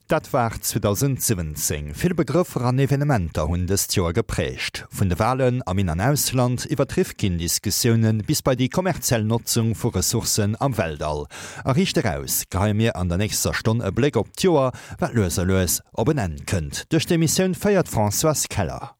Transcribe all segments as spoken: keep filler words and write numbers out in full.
Dat war zweedausendsiwwenzéng. Vill Begrëffer an Evenementer hunn dëst Joer geprägt. Vun de Walen am In an Ausland iwwer d'Rifkin-Diskussiounen bis bei déi kommerziell Notzung vu Ressourcen am Weltall. A Riicht Eraus geheie mir an der nächster Stonn e Bléck op d'Joer, wat lues a lues op en Enn kënnt. Duerch d'Emissioun féiert d'Françoise Keller.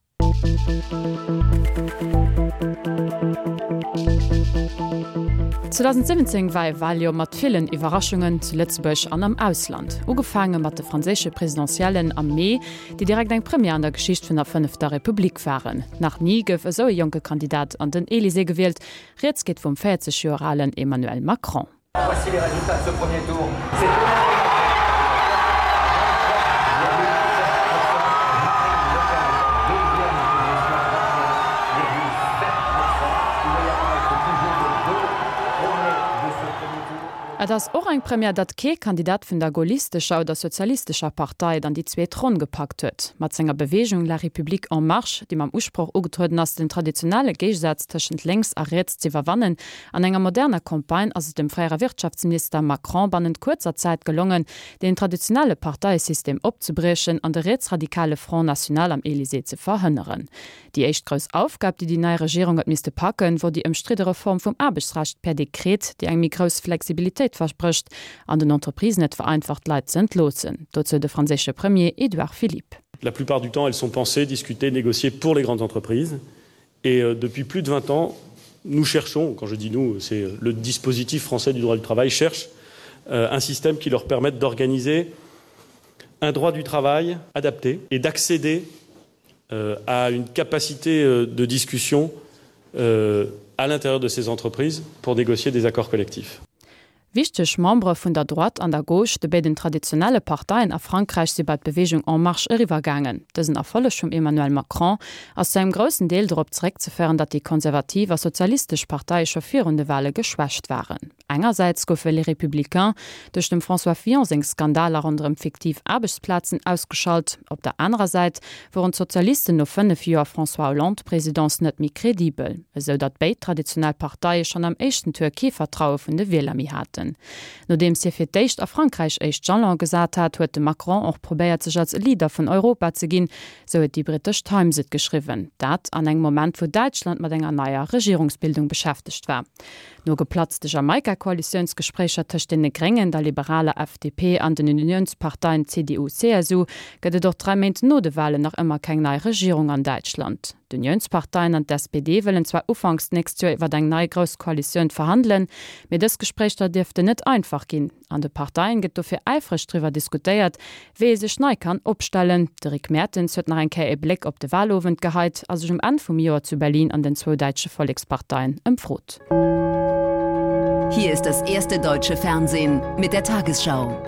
zweedausendsëwwenzéng war e Waljoer mat villen Iwwerraschungen zu Lëtzebuerg an am Ausland. Ugefaange mat de franséische Presidentiellen am Mee, déi direkt eng Première an der Geschicht vun der Fënnefter Republik waren. Nach ni gouf esou e jonke Kandidat an den Elysée gewielt, Rieds geet vum véierzeg Joer alen Emmanuel Macron. Voici les résultats de ce premier tour. C'est Emmanuel Macron Et ass och eng Première, datt kee Kandidat vun der gaullistescher oder sozialistescher Partei et an déi zweet Ronn gepackt huet. Mat senger Beweegung La République en marche, déi mam Usproch ugetrueden ass, den traditionelle Géigesaz tëschent lénks a riets z'iwwerwannen, an enger moderner Campagne ass et dem fréiere Wirtschaftsminister Macron bannent kuerzer Zäit gelongen, deen traditionelle Parteiesystem opzebriechen an de rietsradikale Front National am Elysée ze verhënneren. Déi éischt grouss Aufgab, déi déi nei Regierung huet misste packen, wor déi ëmstridde Reform vum Aarbechtsrecht per Dekret, déi eng méi grouss Flexibilitéit versprécht an den Entreprisen et vereinfacht, Leit ze entloossen. Dozou de franséische Premier Édouard Philippe. La plupart du temps, elles sont pensées, discutées, négociées pour les grandes entreprises. Et euh, depuis plus de vingt ans, nous cherchons, quand je dis nous, c'est euh, le dispositif français du droit du travail cherche euh, un système qui leur permette d'organiser un droit du travail adapté et d'accéder euh, à une capacité euh, de discussion euh, à l'intérieur de ces entreprises pour négocier des accords collectifs. Wichteg Membere vun der Droite an der Gauche, de béiden traditionelle Parteien a Frankräich, si bei d'Beweegung En Marche eriwwergaangen. Dësen Erfolleg vum Emmanuel Macron ass zu engem groussen Deel dorop zeréckzeféieren, datt déi konservativ a sozialistesch Parteie scho virun de Wale geschwächt waren. Engersäits goufe Les Républicains duerch dem François Fillon seng Skandaler ronderëm fiktiv Aarbechtsplazen ausgeschalt, op der anerer Säit woren d'Sozialisten no fënnef Joer François Hollande-Presidence net méi kredibel, esou datt béid traditionell Parteie schonn am éischten Tour kee Vertraue vun de Wieler méi haten. Nodeems hie fir d'éischt a Frankräich éischt Jalon gesat hat, huet de Macron och probéiert sech als Leader vun Europa ze ginn, sou huet déi brittesch Times et geschriwwen. Dat an engem Moment wou Däitschland mat enger neier Regierungsbildung beschäftegt war. No geplatzte Jamaika-Koalitiounsgespréicher tëscht deene Gréngen, der liberaler F D P an den Uniounsparteien C D U C S U gëtt et och dräi Méint no de Walen nach ëmmer keng nei Regierung an Däitschland. D'Uniounsparteien an d'S P D wëllen zwar ufanks d'nächst Joer iwwer eng nei grouss Koalitioun verhandelen, mee dës Gespréicher dierften net einfach ginn. An de Parteien gëtt dofir äifreg driwwer diskutéiert, wéi ee sech nei kann opstellen. De Rick Mertens huet nach eng Kéier e Bléck op de Walowend geheit a sech um Enn vum Joer zu Berlin an den zwou däitsche Volleksparteien ëmfrot. Hier ist das erste deutsche Fernsehen mit der Tagesschau.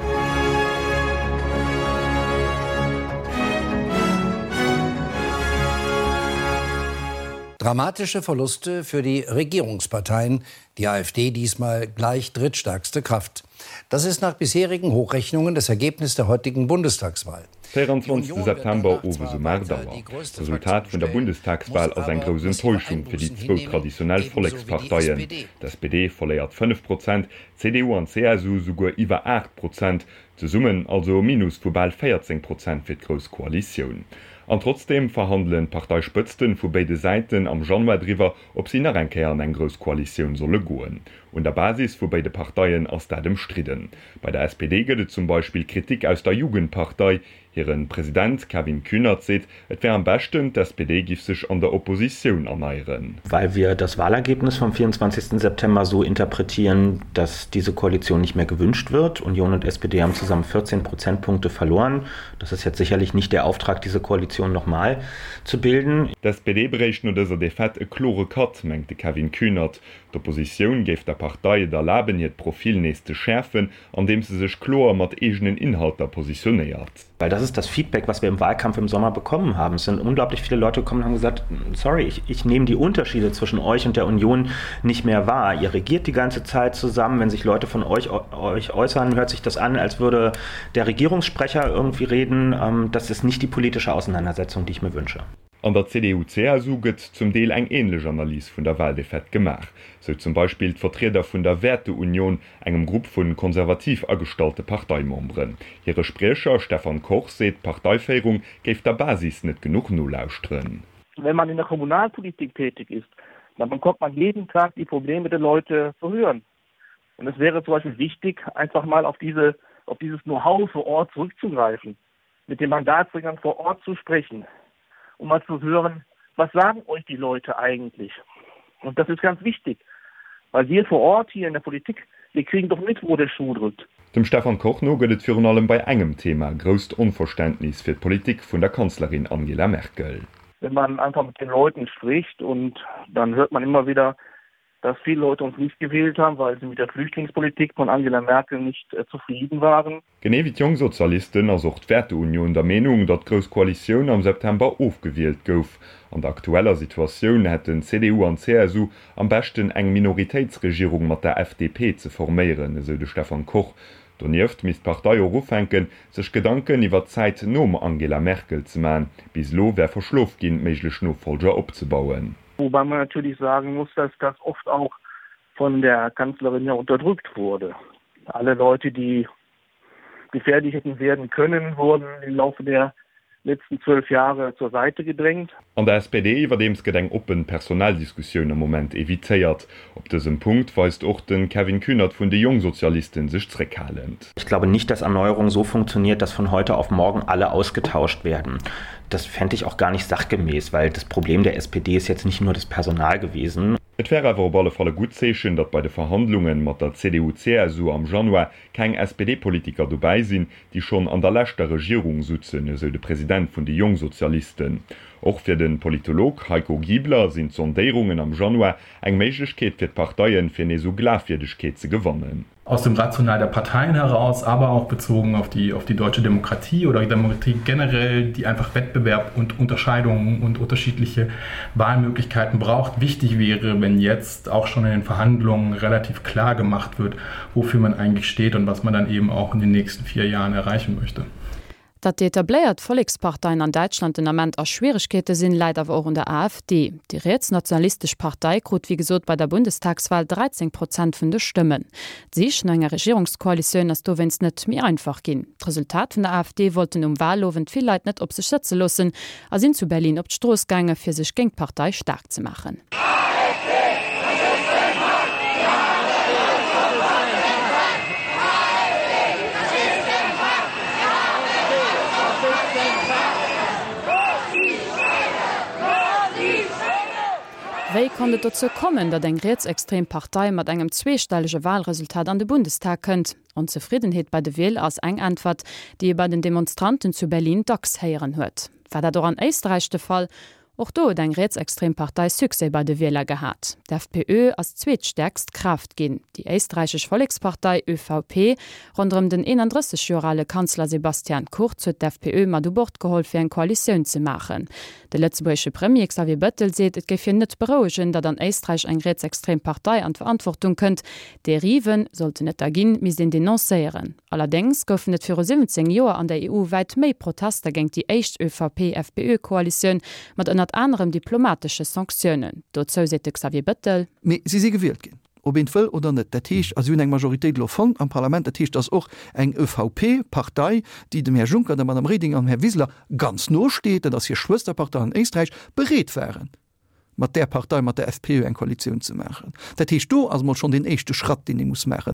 Dramatische Verluste für die Regierungsparteien, die AfD diesmal gleich drittstärkste Kraft. Das ist nach bisherigen Hochrechnungen das Ergebnis der heutigen Bundestagswahl. véierundzwanzegste September, owes um aacht Auer. D'Resultat vun der Bundestagswahl ass eng grouss Enttäuschung fir déi zwou traditionell Volleksparteien. D' S P D verléiert fënnef Prozent, d' C D U an d' C S U souguer iwwer aacht Prozent, zesummen also e Minus vu bal véierzéng Prozent fir d'Grouss Koalitioun. An trotzdeem verhandelen d'Parteispëtzten vu béide Säiten am Januar driwwer, ob si nach eng Kéier an eng grouss Koalitioun solle goen. Un der Basis vu béide Parteien ass dat ëmstridden. Bei der S P D gëtt et zum Beispill Kritik aus der Jugendpartei. Hiren President Kevin Kühnert seet, et wär am beschten, d'S P D giff sech an der Oppositioun erneieren. Weil wir das Wahlergebnis vom vierundzwanzigsten September so interpretieren, dass diese Koalition nicht mehr gewünscht wird. Union und S P D haben zusammen vierzehn Prozentpunkte verloren. Das ist jetzt sicherlich nicht der Auftrag, diese Koalition nochmal zu bilden. D'S P D bréicht no dëser Defaite e klore Cut, mengt de Kevin Kühnert. D'Oppositioun géif der Partei et erlaben, hiert Profil nees ze schäerfen, andeem se sech kloer mat eegenen Inhalter positionéiert. Weil das ist das Feedback, was wir im Wahlkampf im Sommer bekommen haben. Es sind unglaublich viele Leute gekommen und haben gesagt, sorry, ich, ich nehme die Unterschiede zwischen euch und der Union nicht mehr wahr. Ihr regiert die ganze Zeit zusammen. Wenn sich Leute von euch, euch äußern, hört sich das an, als würde der Regierungssprecher irgendwie reden. Ähm, das ist nicht die politische Auseinandersetzung, die ich mir wünsche. An der CDU-CSU gëtt zum Deel eng änlech Analys vun der Waldefaite gemaach. Sou zum Beispill d'Vertrieder vun der Werteunion, engem Grupp vu konservativ agestallte Parteimemberen. Hire Spriecher Stefan Koch seet, d'Parteiféierung géif der Basis net genuch nolauschteren. Wenn man in der Kommunalpolitik tätig ist, dann bekommt man jeden Tag die Probleme der Leute zu hören. Und es wäre zum Beispiel wichtig, einfach mal auf diese, auf dieses Know-how vor Ort zurückzugreifen, mit den Mandatsträgern vor Ort zu sprechen, um mal zu hören, was sagen euch die Leute eigentlich? Und das ist ganz wichtig, weil wir vor Ort hier in der Politik, wir kriegen doch mit, wo der Schuh drückt. Dem Stefan Koch no gëtt et virun allem bei engem Thema grousst Onverständnis fir d'Politik vun der Kanzlerin Angela Merkel. Wenn man einfach mit den Leuten spricht und dann hört man immer wieder, dass viele Leute uns nicht gewählt haben, weil sie mit der Flüchtlingspolitik von Angela Merkel nicht äh, zufrieden waren. Genee wéi d'Jongsozialisten ass och d'Werteunion der Meenung, datt d'Grouss Koalitioun am September ofgewielt gouf. An der aktueller Situatioun hätten CDU an CSU am beschten eng Minoritéitsregierung mat der FDP ze forméieren, esou de Stefan Koch. Donieft misst d'Partei och ufänken, sech Gedanken iwwer d'Zäit nom Angela Merkel ze man. Bis elo wär verschlof ginn, méiglech Nofollger opzebauen. Wobei man natürlich sagen muss, dass das oft auch von der Kanzlerin ja unterdrückt wurde. Alle Leute, die gefährlich hätten werden können, wurden im Laufe der letzten zwölf Jahre zur Seite gedrängt. An der SPD iwwerdeems gëtt eng oppen Personaldiskussioun am Moment evitéiert. Op dësem Punkt weist och de Kevin Kühnert vun de Jongsozialisten sech zréckhalend. Ich glaube nicht, dass Erneuerung so funktioniert, dass von heute auf morgen alle ausgetauscht werden. Das fände ich auch gar nicht sachgemäß, weil das Problem der SPD ist jetzt nicht nur das Personal gewesen. Et wär awer op alle Fall e gutt Zeechen, datt bei de Verhandlunge mat der CDU-CSU am Januar keng SPD-Politiker dobäi sinn, déi schonn an der leschter Regierung sutzen, esou de President vun de Jongsozialisten. Och fir de Politolog Heiko Giebler sinn d'Sondéierungen am Januar eng Méiglechkeet fir d'Parteien, fir nees u Glafwierdegkeet ze gewannen. Aus dem Rational der Parteien heraus, aber auch bezogen auf die, auf die deutsche Demokratie oder Demokratie generell, die einfach Wettbewerb und Unterscheidungen und unterschiedliche Wahlmöglichkeiten braucht, wichtig wäre, wenn jetzt auch schon in den Verhandlungen relativ klar gemacht wird, wofür man eigentlich steht und was man dann eben auch in den nächsten vier Jahren erreichen möchte. Datt déi etabléiert Volleksparteien an Däitschland den Ament a Schwieregkeete sinn, läit awer och un der AfD. Déi rietsnationalistesch Partei krut wéi gesot bei der Bundestagswal dräizéng Prozent vun de Stëmmen. D'Sich no enger Regierungskoalitioun ass dowéinst net méi einfach ginn. D'Resultat vun der AfD wollten um Walowend vill Leit net op sech sëtze loossen a sinn zu Berlin op d'Strooss gaange fir sech géint d'Partei staark ze maachen. Wéi konnt et dozou kommen, datt eng rietsextrem Partei mat engem zweestellege Walresultat an de Bundestag kënnt? Onzefriddenheet bei de Wieler ass eng Äntwert, déi ee bei den Demonstranten zu Berlin dacks héieren huet. War dat och an Éisträich de Fall? Och do huet eng rietsextrem Partei Succès bei de Wieler gehat. D'FPÖ ass zweetstäerkst Kraaft ginn. Déi éisträichesch Vollekspartei, ÖVP, ronderëm den eenandrësseg Joer ale Kanzler Sebastian Kurz huet d'FPÖ mat u Bord geholl fir eng Koalitioun ze maachen. De lëtzebuergesche Premier Xavier Bettel seet, et géif hien net berouegen, datt an Éisträich eng rietsextrem Partei an d'Verantwortung kënnt. Deriven, sollten et der ginn, misst een denoncéieren. Allerdéngs goufen et viru siwwenzéng Joer an der E U wäit méi Protester géint déi éischt ÖVP-FPÖ-Koalitioun mat ënnert anerem diplomatesche Sanktiounen. Dozou seet de Xavier Bettel. Mee si si gewielt ginn, ob een et wëll oder net. Dat heescht, a si hunn eng Majoritéit elo fonnt am Parlament. Dat heescht, dass och eng ÖVP-Partei, déi dem Här Juncker, der Madame Reding an dem Här Wiseler ganz no steet, dat ass hir Schwësterpartei an Éisträich, bereet waren, mat där Partei, mat der FPÖ eng Koalitioun ze maachen. Dat heescht, do ass emol schonn deen éischte Schratt, deen ee muss maachen.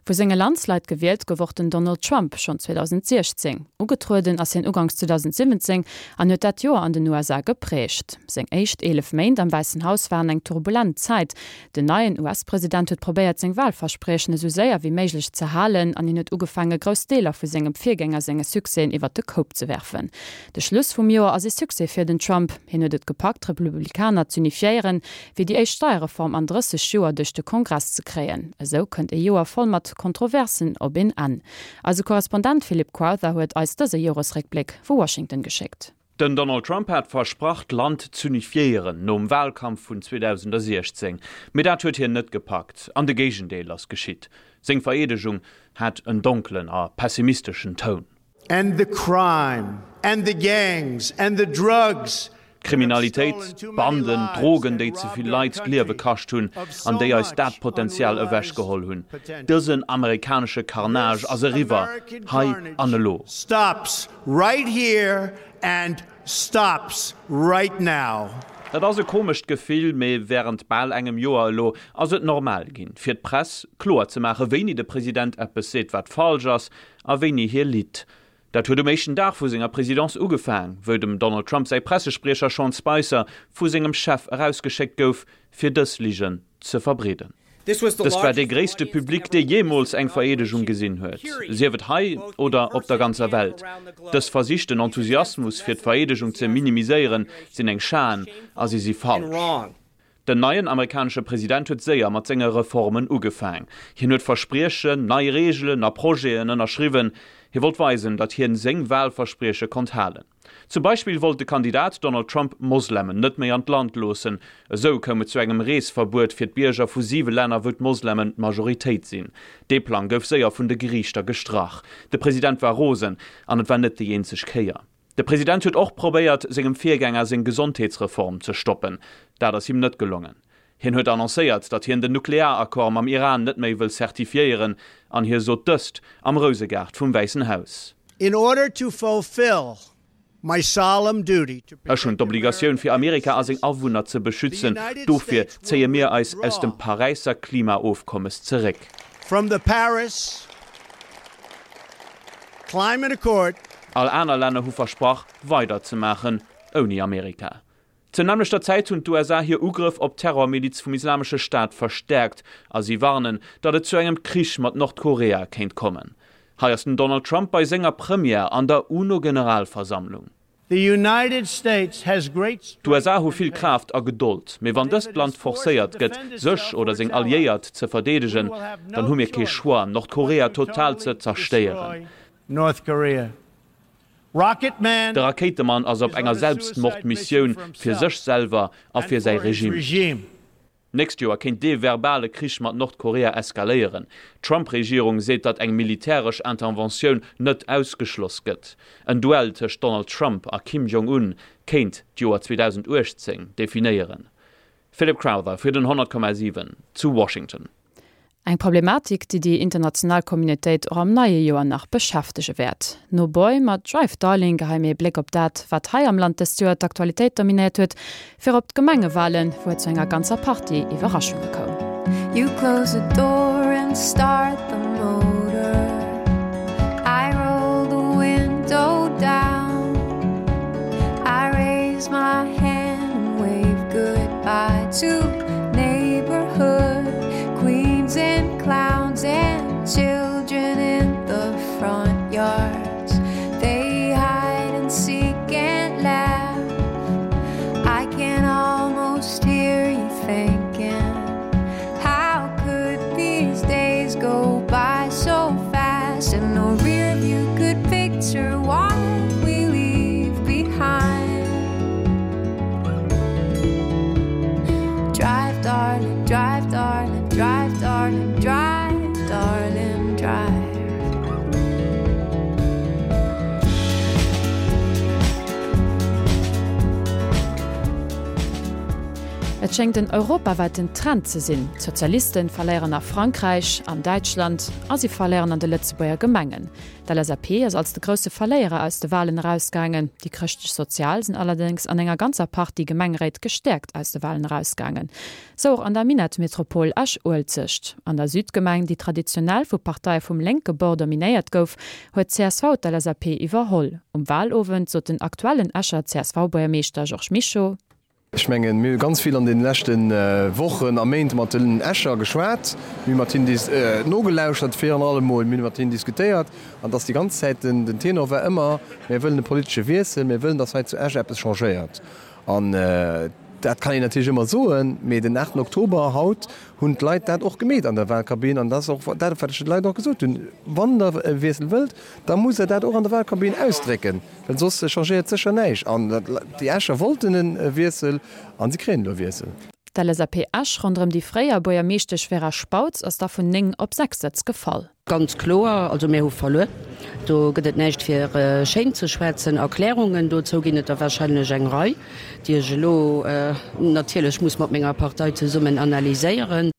Vu senge Landsleit gewielt gouf och den Donald Trump schonn zweedausendsiechzéng. Ugetrueden ass hien uganks zweedausendsiwwenzéng an huet dat Joer an den U S A geprägt. Seng éischt eelef Méint am Wäissen Haus waren eng turbulent Zäit. Den neien U S-President huet probéiert seng Walverspriechen esou séier wéi méiglech ze halen an hien huet ugefaange grouss Deeler vu sengem Virgänger senge Succèsen iwwert de Koup ze werfen. De Schluss vum Joer ass ee Succès fir den Trump. Hien huet et gepackt d'Republikaner z'unifiéieren, fir déi éischt Steierreform an drësseg Joer duerch de Kongress ze kréien. Esou kënnt ee Joer voll mat Kontroversen op een Enn. Eise Korrespondent Philip Crowther huet eis dëse Joresréckbléck vu Washington geschéckt. Den Donald Trump hat versprach, d'Land z'unifiéieren nom Walkampf vun zweedausendsechzéng. Mee dat huet hien net gepackt, an de Géigendeel ass geschitt. Seng Vereedegung hat en donkelen a pessimisteschen Toun. And the crime and the gangs and the drugs D'Kriminalitéit, d'Banden, d'Drogen, déi ze vill Leit d'Liewe kascht hunn an déi eis dat Potenzial ewechgeholl hunn. Dësen amerikanesche Carnage ass eriwwer, hei an elo. Dat ass e komescht Gefill, mee wärend bal engem Joer elo ass et normal ginn, fir d'Press kloer ze maachen, wéini de President eppes seet, wat falsch ass, a wéini hie litt. Dat huet um éischten Dag vu senger Presidence ugefaang, wou dem Donald Trump säi Pressespriecher Sean Spicer vu sengem Chef erausgeschéckt gouf, fir dës Ligen ze verbreeden. Dëst war dee gréisste Public, dee jeemools eng Vereedegung gesinn huet, sief et hei oder op der ganzer Welt. Dës Versich, den Enthusiasmus fir d'Vereedegung ze minimiséieren, sinn eng Schan a si si falsch. Den neien amerikanesche President huet séier mat senge Reformen ugefaang. Hien huet Verspriechen, nei Reegelen a Projeten ënnerschriwwen. Hie wollt weisen, datt hien seng Walversprieche konnt halen. Zum Beispill wollt de Kandidat Donald Trump Moslemen net méi an d'Land loossen. Esou koum et zu engem Reesverbuet fir d'Bierger vu siwe Länner, wou d'Moslemen d'Majoritéit sinn. Dee Plang gouf séier vun de Geriichter gestrach. De President war rosen, an et war net déi eenzeg Kéier. De President huet och probéiert, sengem Virgänger seng Gesondheetsreform ze stoppen. Dat ass him net gelongen. Hien huet annoncéiert, datt hien den Nuklearaccord mam Iran net méi wëll certifiéieren, an hie sot dëst am Rousegaart vum Wäissen Haus. In order to fulfill my solemn duty to Ech hunn d'Obligatioun, fir Amerika a seng Awunner ze beschützen. Dofir zéie mir eis aus dem Paräisser Klimaofkommes zeréck. From the Paris Climate Accord. All aner Länner hu versprach, weider ze maachen, ouni Amerika. Zur nämmlechter Zäit hunn d'USA hir Ugrëff op d'Terrormiliz vum Islamesche Staat verstäerkt a si warnen, datt et zu engem Krich mat Nordkorea kéint kommen. Hei ass den Donald Trump bei senger Première an der UNO-Generalversammlung. D'USA hu vill Kraaft a Gedold, mee wann dëst Land forcéiert gëtt, sech oder seng Alliéiert ze verdeedegen, dann hu mir kee Choix, Nordkorea total ze zerstéieren. De Rakéitemann ass op enger Selbstmordmissioun fir sech selwer a fir säi Regime. D'nächst Joer kéint dee verbale Krich mat Nordkorea eskaléieren. D'Trump-Regierung seet, datt eng militäresch Interventioun net ausgeschloss gëtt. En Duell tëscht Donald Trump a Kim Jong-un kéint d'Joer zweedausendachtzéng definéieren. Philip Crowther fir den honnert Komma siwen zu Washington. Eng Problematik, déi déi international Communautéit och am neie Joer nach beschäftege wäert. No Boy mat Drive Darling geheie mir ee Bléck op dat, wat hei am Land dëst Joer d'Aktualitéit dominéiert huet, virop d'Gemengewalen, wou et zu enger ganzer Partie Iwwerraschunge koum. You close the door and start the motor I roll the window down I raise my hand and wave goodbye to neighborhood queens and clowns and children in the front yards They hide and seek and laugh I can almost hear you thinking How could these days go by so fast and no rear view could picture what we leave behind Drive darling, drive darling, drive darling, drive darling, drive. Et schéngt en europawäiten Trend ze sinn, D'Sozialiste verléieren a Frankräich, an Däitschland a si verléieren an de Lëtzebuerger Gemengen. D'LSAP ass als de grousse Verléierer aus de Walen erausgaangen. Déi Chrëschtlech-Sozial sinn allerdéngs an enger ganzer Partie Gemengeréit gestäerkt aus de Walen erausgaangen. Sou och an der Minettmetropol Esch-Uelzecht. An der Südgemeng, déi traditionell vu Parteie vum lénke Bord dominéiert gouf, huet csv d'LSAP iwwerholl. Um Walowend sot den aktuellen Escher CSV-Buergermeeschter Georges Mischo, Ech mengen, mir hu ganz vill an deene leschte Wochen a Méint mat den Escher geschwat, mir hu mat hinnen nogelauschert virun allem emol, mir hu mat hinnen diskutéiert an et ass déi ganz Zäit den Tenor war ëmmer, Mir wëllen e politesche Wiessel, mir wëllen, datt hei zu Esch eppes changéiert. An dat kann een natierlech ëmmer soen, mee den aachten Oktober, haut, hunn d'Leit dat och gemeet an der Wahlkabinn an dat ass och dat, wat ech de Leit och gesot hunn, Wann Der e Wiessel wëllt, da musst Der dat och an der Wahlkabinn ausdrécken, well soss changéiert sécher näischt. An déi Escher wollten e Wiessel a si kréien elo e Wiessel. D'LSAP Esch ronderëm déi fréier Buergermeeschtesch Vera Spautz ass da vun néng op sechs Sëtz gefall. Ganz kloer, also mir hu verluer. Do gëtt et näischt fir schéin ze schwätzen. Erklärungen dozou ginn et der warscheinlech eng Rei, déi ech elo natierlech muss mat menger Partei zesummen analyséieren.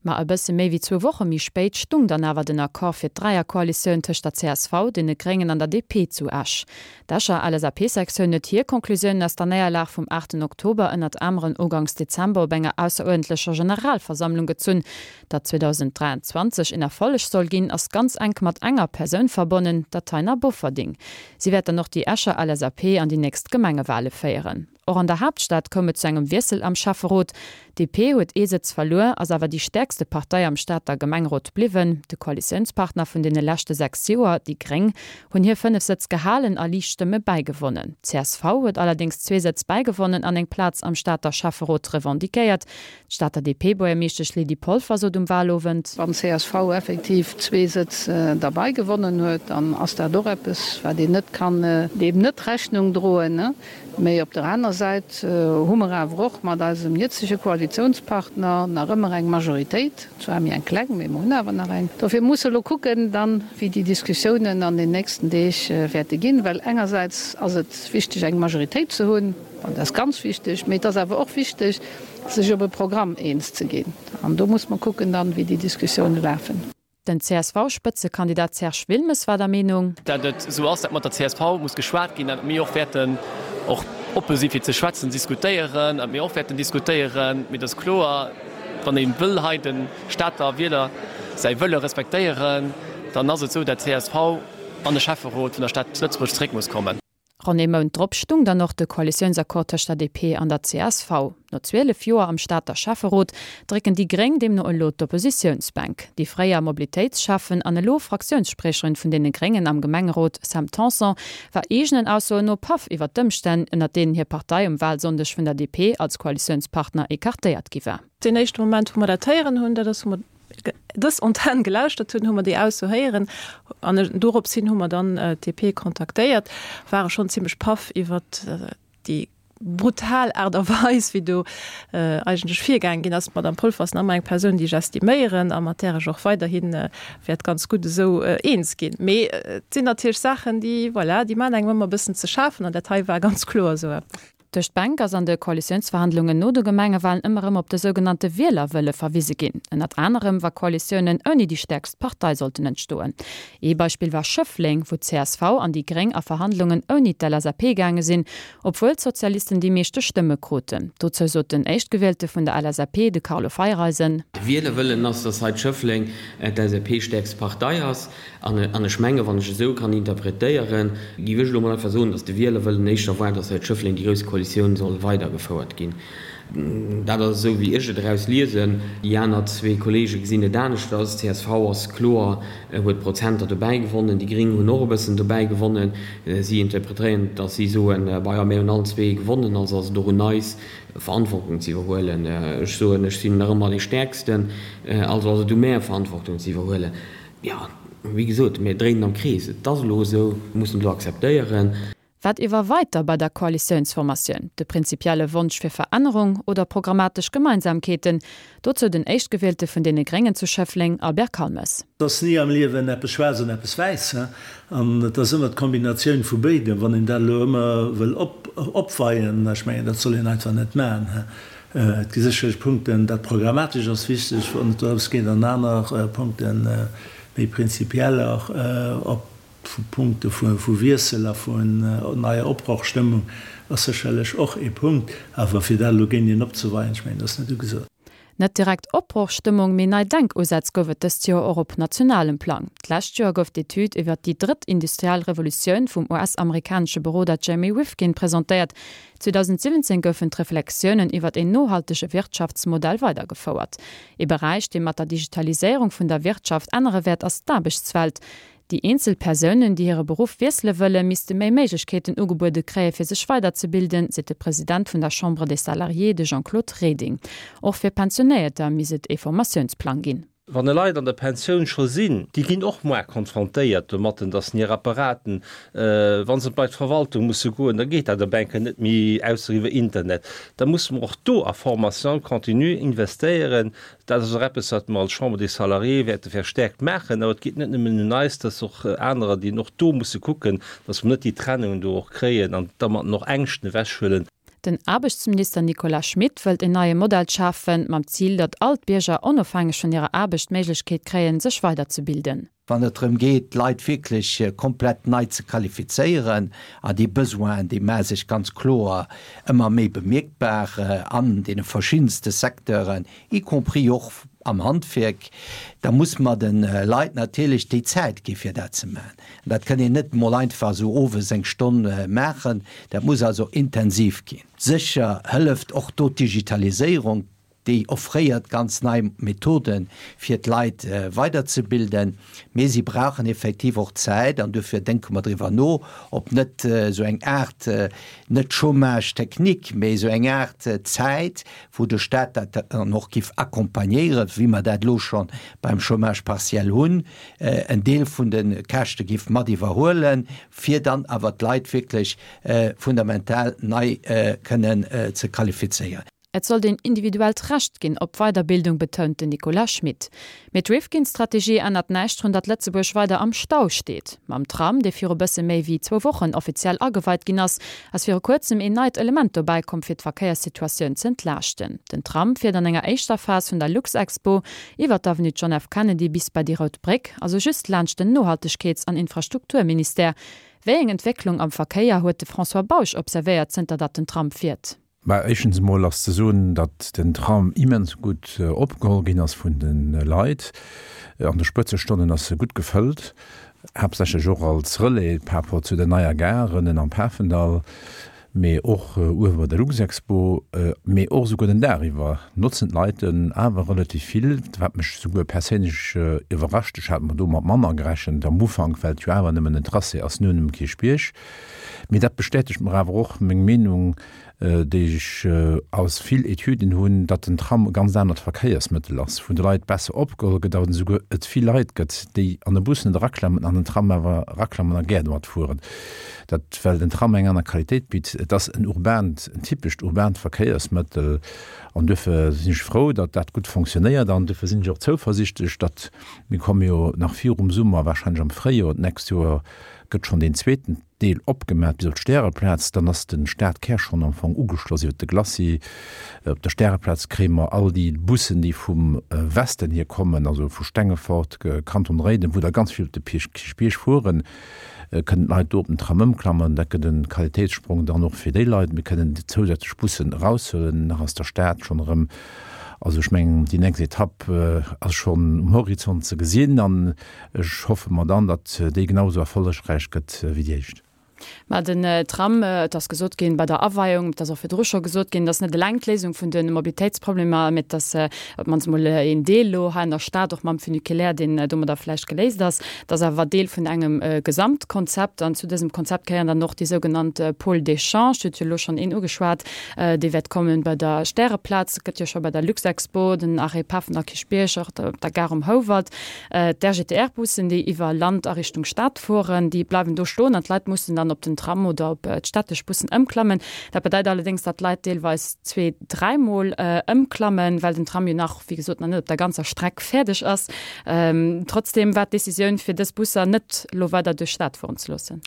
Ma e bësse méi wéi zwou Woche méi spéit stung dann awer den Accord fir d'Dräierkoalitioun tëscht der csv, deene Gréngen an der DP zu Esch. D'Escher LSAP-Sektioun huet hir Conclusiounen aus der Néierlag vum aachten Oktober ënnert aneren uganks Dezember op enger ausseruerdentlecher Generalversammlung gezunn. Datt zweedausenddräianzwanzeg een Erfolleg soll ginn, ass ganz enk mat enger Persoun verbonnen, der Taina Bofferding. Si wäert dann och déi Escher LSAP an déi nächst Gemengewale féieren. Och an der Haaptstad koum et zu engem Wiessel am Schäfferot. D P huet ee Sëtz verluer, ass awer déi stäerkste Partei am Stater Gemengerot bliwwen. De Koalitiounspartner vun deene leschte sechs Joer, déi Gréng, hunn hir fënnef Sëtz gehalen a liicht Stëmme bäigewonnen. Csv huet allerdéngs zwee Sëtz bäigewonnen an eng Plaz am Stater Schäfferot revendiquéiert. D'Stater D P-Buergermeeschtesch Lydie Polfer sot um Walowend. Wann csv effektiv zwee Sëtz derbäi gewonnen huet, dann ass dat och eppes, wat een net kann deem net Rechnung droen. Mee op der aner Säit hu mer awer och mat eisem jëtzege Koalitiounspartner nach ëmmer eng Majoritéit, zwar méi eng kleng, mee mer hunn awer nach eng. Dofir musse elo kucken dann, wéi déi Diskussiounen an den nächsten Deeg wäerte ginn, well engersäits ass et wichteg, eng Majoritéit ze hunn, an dat ass ganz wichteg, mee et ass awer och wichteg, sech op e Programm eens ze ginn. An do muss mer kucken dann, wéi déi Diskussioune lafen. Den C S V-Spëtzekandidat Serge Wilmes war der Meenung. Datt et esou ass, datt mat der C S V muss geschwat ginn, datt mir och wäerten och oppe si fir ze schwätzen, diskutéieren, datt mir och wäerten diskutéieren. Mee et ass kloer, wann ee wëll hei de Stater Wieler säi Wëlle respektéieren, dann ass et esou, datt d'C S V an de Schäfferot vun der Stad Lëtzebuerg zeréck muss kommen. Ronn ee Mount drop stung dann och de Koalitiounsaccord tëscht der D P an der C S V. No zwielef Joer am Stater Schäfferot drécken déi Gréng deemno elo d'Oppositiounsbänk. Déi fréier Mobilitéitsschäffen an elo Fraktiounsspriecherin vun deene Gréngen am Gemengerot Sam Tanson war eegenen Aussoen no paff iwwer d'Ëmstänn, ënner deenen hir Partei um Walsonndeg vun der D P als Koalitiounspartner ecartéiert gi war. Deen éischte Moment, wou mer dat héieren hunn, dat ass, wou mer dës Antenn gelauschtert hunn, hu mer déi Ausso héieren an dorops hin hu mer dann d'D P kontaktéiert, ware schonn zimmlech paff iwwer déi brutal Aart a Weis, wéi do eigentlech virgaange ginn ass. D'Madame Polfer ass nach ëmmer eng Persoun, déi ech estiméieren a mat där ech och weiderhi wäert ganz gutt esou eens ginn. Mee et sinn natierlech Saachen, déi, voilà, déi maachen engem ëmmer e bëssen ze schafen an dat hei war ganz kloer esou eppes. Duerch d'Bänk ass an de Koalitiounsverhandlungen no de Gemengewalen ëmmer erëm op de sougenannte Wielerwëlle verwise ginn. Ënnert anerem wa Koalitiounen ouni déi stäerkst Partei sollten entstoen. Ee Beispill war Schëffleng, wou d'C S V an déi Gréng a Verhandlungen ouni d'L S A P gaange sinn, obwuel d'Sozialisten déi meeschte Stëmme kruten. Dozou sot den Éischtgewielte vun der L S A P, de Carlo Feiereisen. De Wielerwëllen ass, dass hei Schëffleng d'L S A P stäerkst Partei ass. An ech mengen, wann ech esou kann interpretéieren, géif ech elo mol einfach soen, dass de Wielerwëllen éischter war, dass hei Schëffleng déi grouss Koalitioun soll weidergefouert ginn. Dat ass esou, wéi ech et eraus liesen. Déi aner zwee Kolleege gesinn et aneschters. Csv ass kloer, huet Prozenter dobäi gewonnen, déi Gréng hunn och e bëssen dobäi gewonnen. Si interpretéieren, dass si soen, bah jo, mir hunn allen zwee gewonnen, also ass et och un eis, Verantwortung ze iwwerhuelen. Ech soen, ech sinn nach ëmmer dee Stäerksten, also ass et u mär, Verantwortung ze iwwerhuelen. Jo, wéi gesot, mir dréinen am Krees. Et ass elo esou, mir mussen et elo akzeptéieren. Wat iwwerweit da bei der Koalitiounsformatioun? De prinzipielle Wonsch fir Verännerung oder programmatesch Gemeinsamkeeten? Dozou den Éischtgewielte vun deene Gréngen zu Schëffleng, Albert Calmes. Et ass ni am Liewen eppes schwaarz an eppes wäiss, an et ass ëmmer d'Kombinatioun vu béidem. Wann een dat elo ëmmer wëll opweien, ech mengen, dat soll een einfach net maachen. Et gi sécherlech Punkten, dat Programmatescht ass wichteg, wann et dorëms geet, an aner Punkten, méi prinzipieller, op Punkte vu Wiessel a vun neier Opbrochstëmmung ass sécherlech och ee Punkt. Awer fir dat elo géinteneen opzeweien, ech mengen, dat ass net ugesot. Net direkt Opbrochstëmmung, mee nei Denkusätz gouf et dëst Joer och op nationalem Plang. D'lescht Joer gouf d'Etüd iwwer déi drëtt industriell Revolutioun vum U S-amerikanesche Beroder Jeremy Rifkin presentéiert. zweedausendsiwwenzéng goufen d'Reflexiounen iwwer een nohaltege Wirtschaftsmodell weidergefouert. Ee Beräich, dee mat der Digitaliséierung vun der Wirtschaft ännere wäert, ass d'Aarbechtswelt. Déi eenzel Persounen, déi hire Beruff wiessele wëllen, misste méi Méiglechkeeten ugebuede kréie fir sech weiderzebilden, seet de President vun der Chambre des Salariés, de Jean-Claude Reding. Och fir Pensionéierter misst et e Formatiounsplang ginn. Wann Leit an der Pensioun scho sinn, déi ginn och muer konfrontéiert domatten, datt se hir Apparaten, wa se bei d'Verwaltung musse goen, da geet dat op eng Kéier net méi, ausser iwwer Internet. Da musse mer och do a Formation continue investéieren. Dat ass och eppes, wat mer als Chambre des Salariés wäerte verstärkt maachen. Awer et geet net nëmmen un eis, et ass och anerer, déi och do musse kucken, datt mer net déi Trennung do och kréien an domatten och Ängschten ewechhuelen. Den Aarbechtsminister Nicolas Schmit wëllt een neie Modell schafen, mam Zil, datt all d'Bierger onofhängeg vun hirer Aarbecht d'Méiglechkeet kréien, sech weiderzebilden. Wann et drëm geet, d'Leit wierklech komplett nei ze qualifizéieren, an déi Besoinen, déi maache sech ganz kloer ëmmer méi bemierkbar an deene verschiddenste Secteuren, y compris och am Handwierk, da muss mer de Leit natierlech déi Zäit gi fir dat ze maachen. An dat kann een net emol einfach esou owes eng Stonn maachen, dat muss also intensiv ginn. Sécher hëlleft och do d'Digitaliséierung, déi offréiert ganz nei Methoden, fir d'Leit weiderzebilden, mee si brauchen effektiv och Zäit an dofir denke mer driwwer no, ob net esou eng Aart, net Chômage technique, mee esou eng Aart Zäit, wou de Stat dat dann och giff accompagnéieren, wéi mer dat elo scho beim Chômage partiel hunn, en Deel vun de Käschte giff mat iwwerhuelen, fir dann awer d'Leit wierklech fundamental nei kënnen ze qualifizéieren. Et sollt een individuellt Recht ginn op Weiderbildung, betount den Nicolas Schmit. Mee d'Rifkin-Strategie ännert näischt drun, datt Lëtzebuerg weider am Stau steet. Mam Tram, dee viru bësse méi wéi zwou Wochen offiziell ageweit ginn ass, ass viru kuerzem een neit Element dobäi komm, fir d'Verkéierssituatioun z'entlaaschten. Den Tram fiert an enger éischter Phas vun der Luxexpo iwwer d'Avenue John F. Kennedy bis bei déi Rout Bréck, also just laanscht den Nohaltegkeets an Infrastrukturministère. Wéi eng Entwécklung am Verkéier huet de François Bausch observéiert, zënter datt den Tram fiert? Bah, éischtens emol ass ze soen, datt den Tram immens gutt opgeholl ginn ass vun de Leit. An de Spëtzestonnen ass e gutt gefëllt, haaptsächlech och als Relais par rapport zu der neier Gare ënnen am Pafendall, mee och uewe bei der Luxexpo, mee och esouguer den Dag iwwer notzen d'Leit en awer relativ vill, wat mech esouguer perséinlech iwwerrascht. Ech hat mer do mat manner gerechent am Ufank, well et jo awer nëmmen en Tracé ass no dem Kierchbierg. Mee dat bestätegt mer awer och meng Meenung, déi ech aus vill Etüden hunn, datt den Tram e ganz anert Verkéiersmëttel ass, vun de Leit besser opgeholl gëtt, awer esouguer et vill Leit gëtt, déi an e Bus net eraklammen, an den Tram awer eraklammen a gär domat fueren. Dat well den Tram eng aner Qualitéit bitt. Et ass en urbaant, en typescht urbaant Verkéiersmëttel an duerfir sinn ech frou, datt dat gutt fonctionnéiert an duerfir sinn ech och zouversichtlech, datt, mir komme jo nach virum Summer, wahrscheinlech am Fréijoer d'nächst Joer, gëtt schonn deen zweeten Deel opgemaach bis op d'Stäreplaz, dann ass de Stadkär schonn am Fong ugeschloss iwwer de Glacis. Op der Stäreplaz kréie mer all déi Bussen, déi vum Westen hier kommen, also vu Stengefort, Kanton Réiden, wou der ganz vill op de Kierchbierg fueren, kënnen d'Leit do op den Tram ëmklammen. Dat gëtt e Qualitéitssprong dann och fir déi Leit. Mir kënnen déi zousätzlech Bussen eraushuelen nach aus der Stad schonn erëm. Also ech mengen, déi nächst Etapp ass schonn um Horizont ze gesinn an ech hoffe mer dann, datt déi genau esou erfollegräich gëtt wéi déi éischt. Mä den Tram, et ass gesot ginn bei der Aweiung, et ass och virdru scho gesot ginn, et ass net eleng d'Léisung vun de Mobilitéitsproblemer, mä et ass op d'mannst emol een Deel elo hei an der Stad, och mam Funiculaire, deen domadder vläicht geléist ass. Et ass awer Deel vun engem Gesamtkonzept an zu dësem Konzept gehéieren dann och déi sougenannt Pôles d'échange, Dir hutt jo elo schonn een ugeschwat, dee wäert kommen bei der Stäreplaz, et gëtt jo scho bei der Luxexpo den Arrêt Pafendall Kierchbierg, och op der Gare um Houwald. D'RGTR-Bussen, déi iwwer Land a Richtung Stad fueren, déi bleiwen do stoen an d'Leit mussen dann op den Tram oder op d'städtesch Bussen ëmklammen. Dat bedeit allerdéngs, datt d'Leit deelweis zwee-, dräimol ëmklammen, well den Tram jo nach, wéi gesot, nach net op der ganzer Streck fäerdeg ass. Trotzdeem war d'Decisioun, fir dës Busser net elo weider duerch d'Stad fueren ze loossen.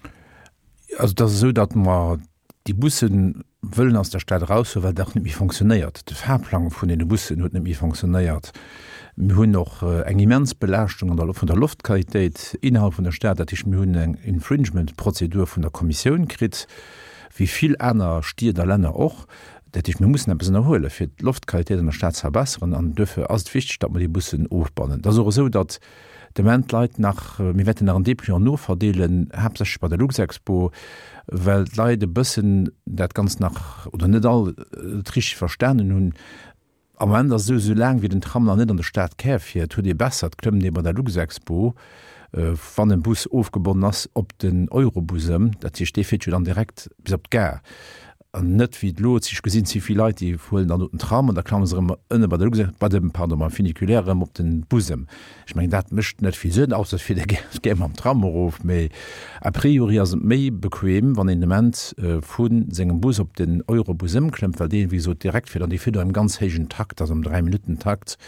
Also et ass esou, datt mer déi Busse wëllen aus der Stad eraushuelen, well dat och net méi fonctionnéiert. De Fahrplang vun deene Bussen huet net méi fonctionnéiert. Mir hunn och eng immens Belaaschtung an der vun der Loftqualitéit innerhalb vun der Stad. Dat heescht, mir hunn eng Infringement-Prozedur vun der Kommissioun kritt, wéi vill aner Stied a Länner och. Dat heescht, mir mussen eppes ënnerhuelen, fir d'Loftqualitéit an der Stad ze verbesseren. An duerfir ass et wichteg, datt mer déi Bussen ofbannen. Et ass och esou, datt de Moment d'Leit nach, mir wäerten nach en Dépliant noverdeelen, haaptsächlech bei der Luxexpo, well d'Leit e bëssen dat Ganzt nach, oder net all et richteg verstanen hunn. Am Moment ass et esou, esou laang wéi den Tram nach net an de Stadkär fiert, huet ee besser, et klëmmt ee bei der Luxexpo, wann e Bus ofgebonnen ass, op den Eurobus ëm. Dat heescht, dee fiert jo dann direkt bis op d'Gare. An net wéi et elo, ech gesinn ze vill Leit, déi huelen dann do den Tram an da klammen se erëm ënne bei der Luxair, bei dem, pardon, beim Funiculaire erëm op den Bus ëm. Ech mengen, dat mécht net vill Sënn, ausser et fiert ee gär, gär mam Tram erof. Mee a priori ass et méi bequem, wann een de Moment vu sengem Bus op den Eurobus ëmklëmmt, well deen, wéi gesot, direkt fiert an dee fiert och am ganz héijen Takt, also am Dräi-Minutten-Takt.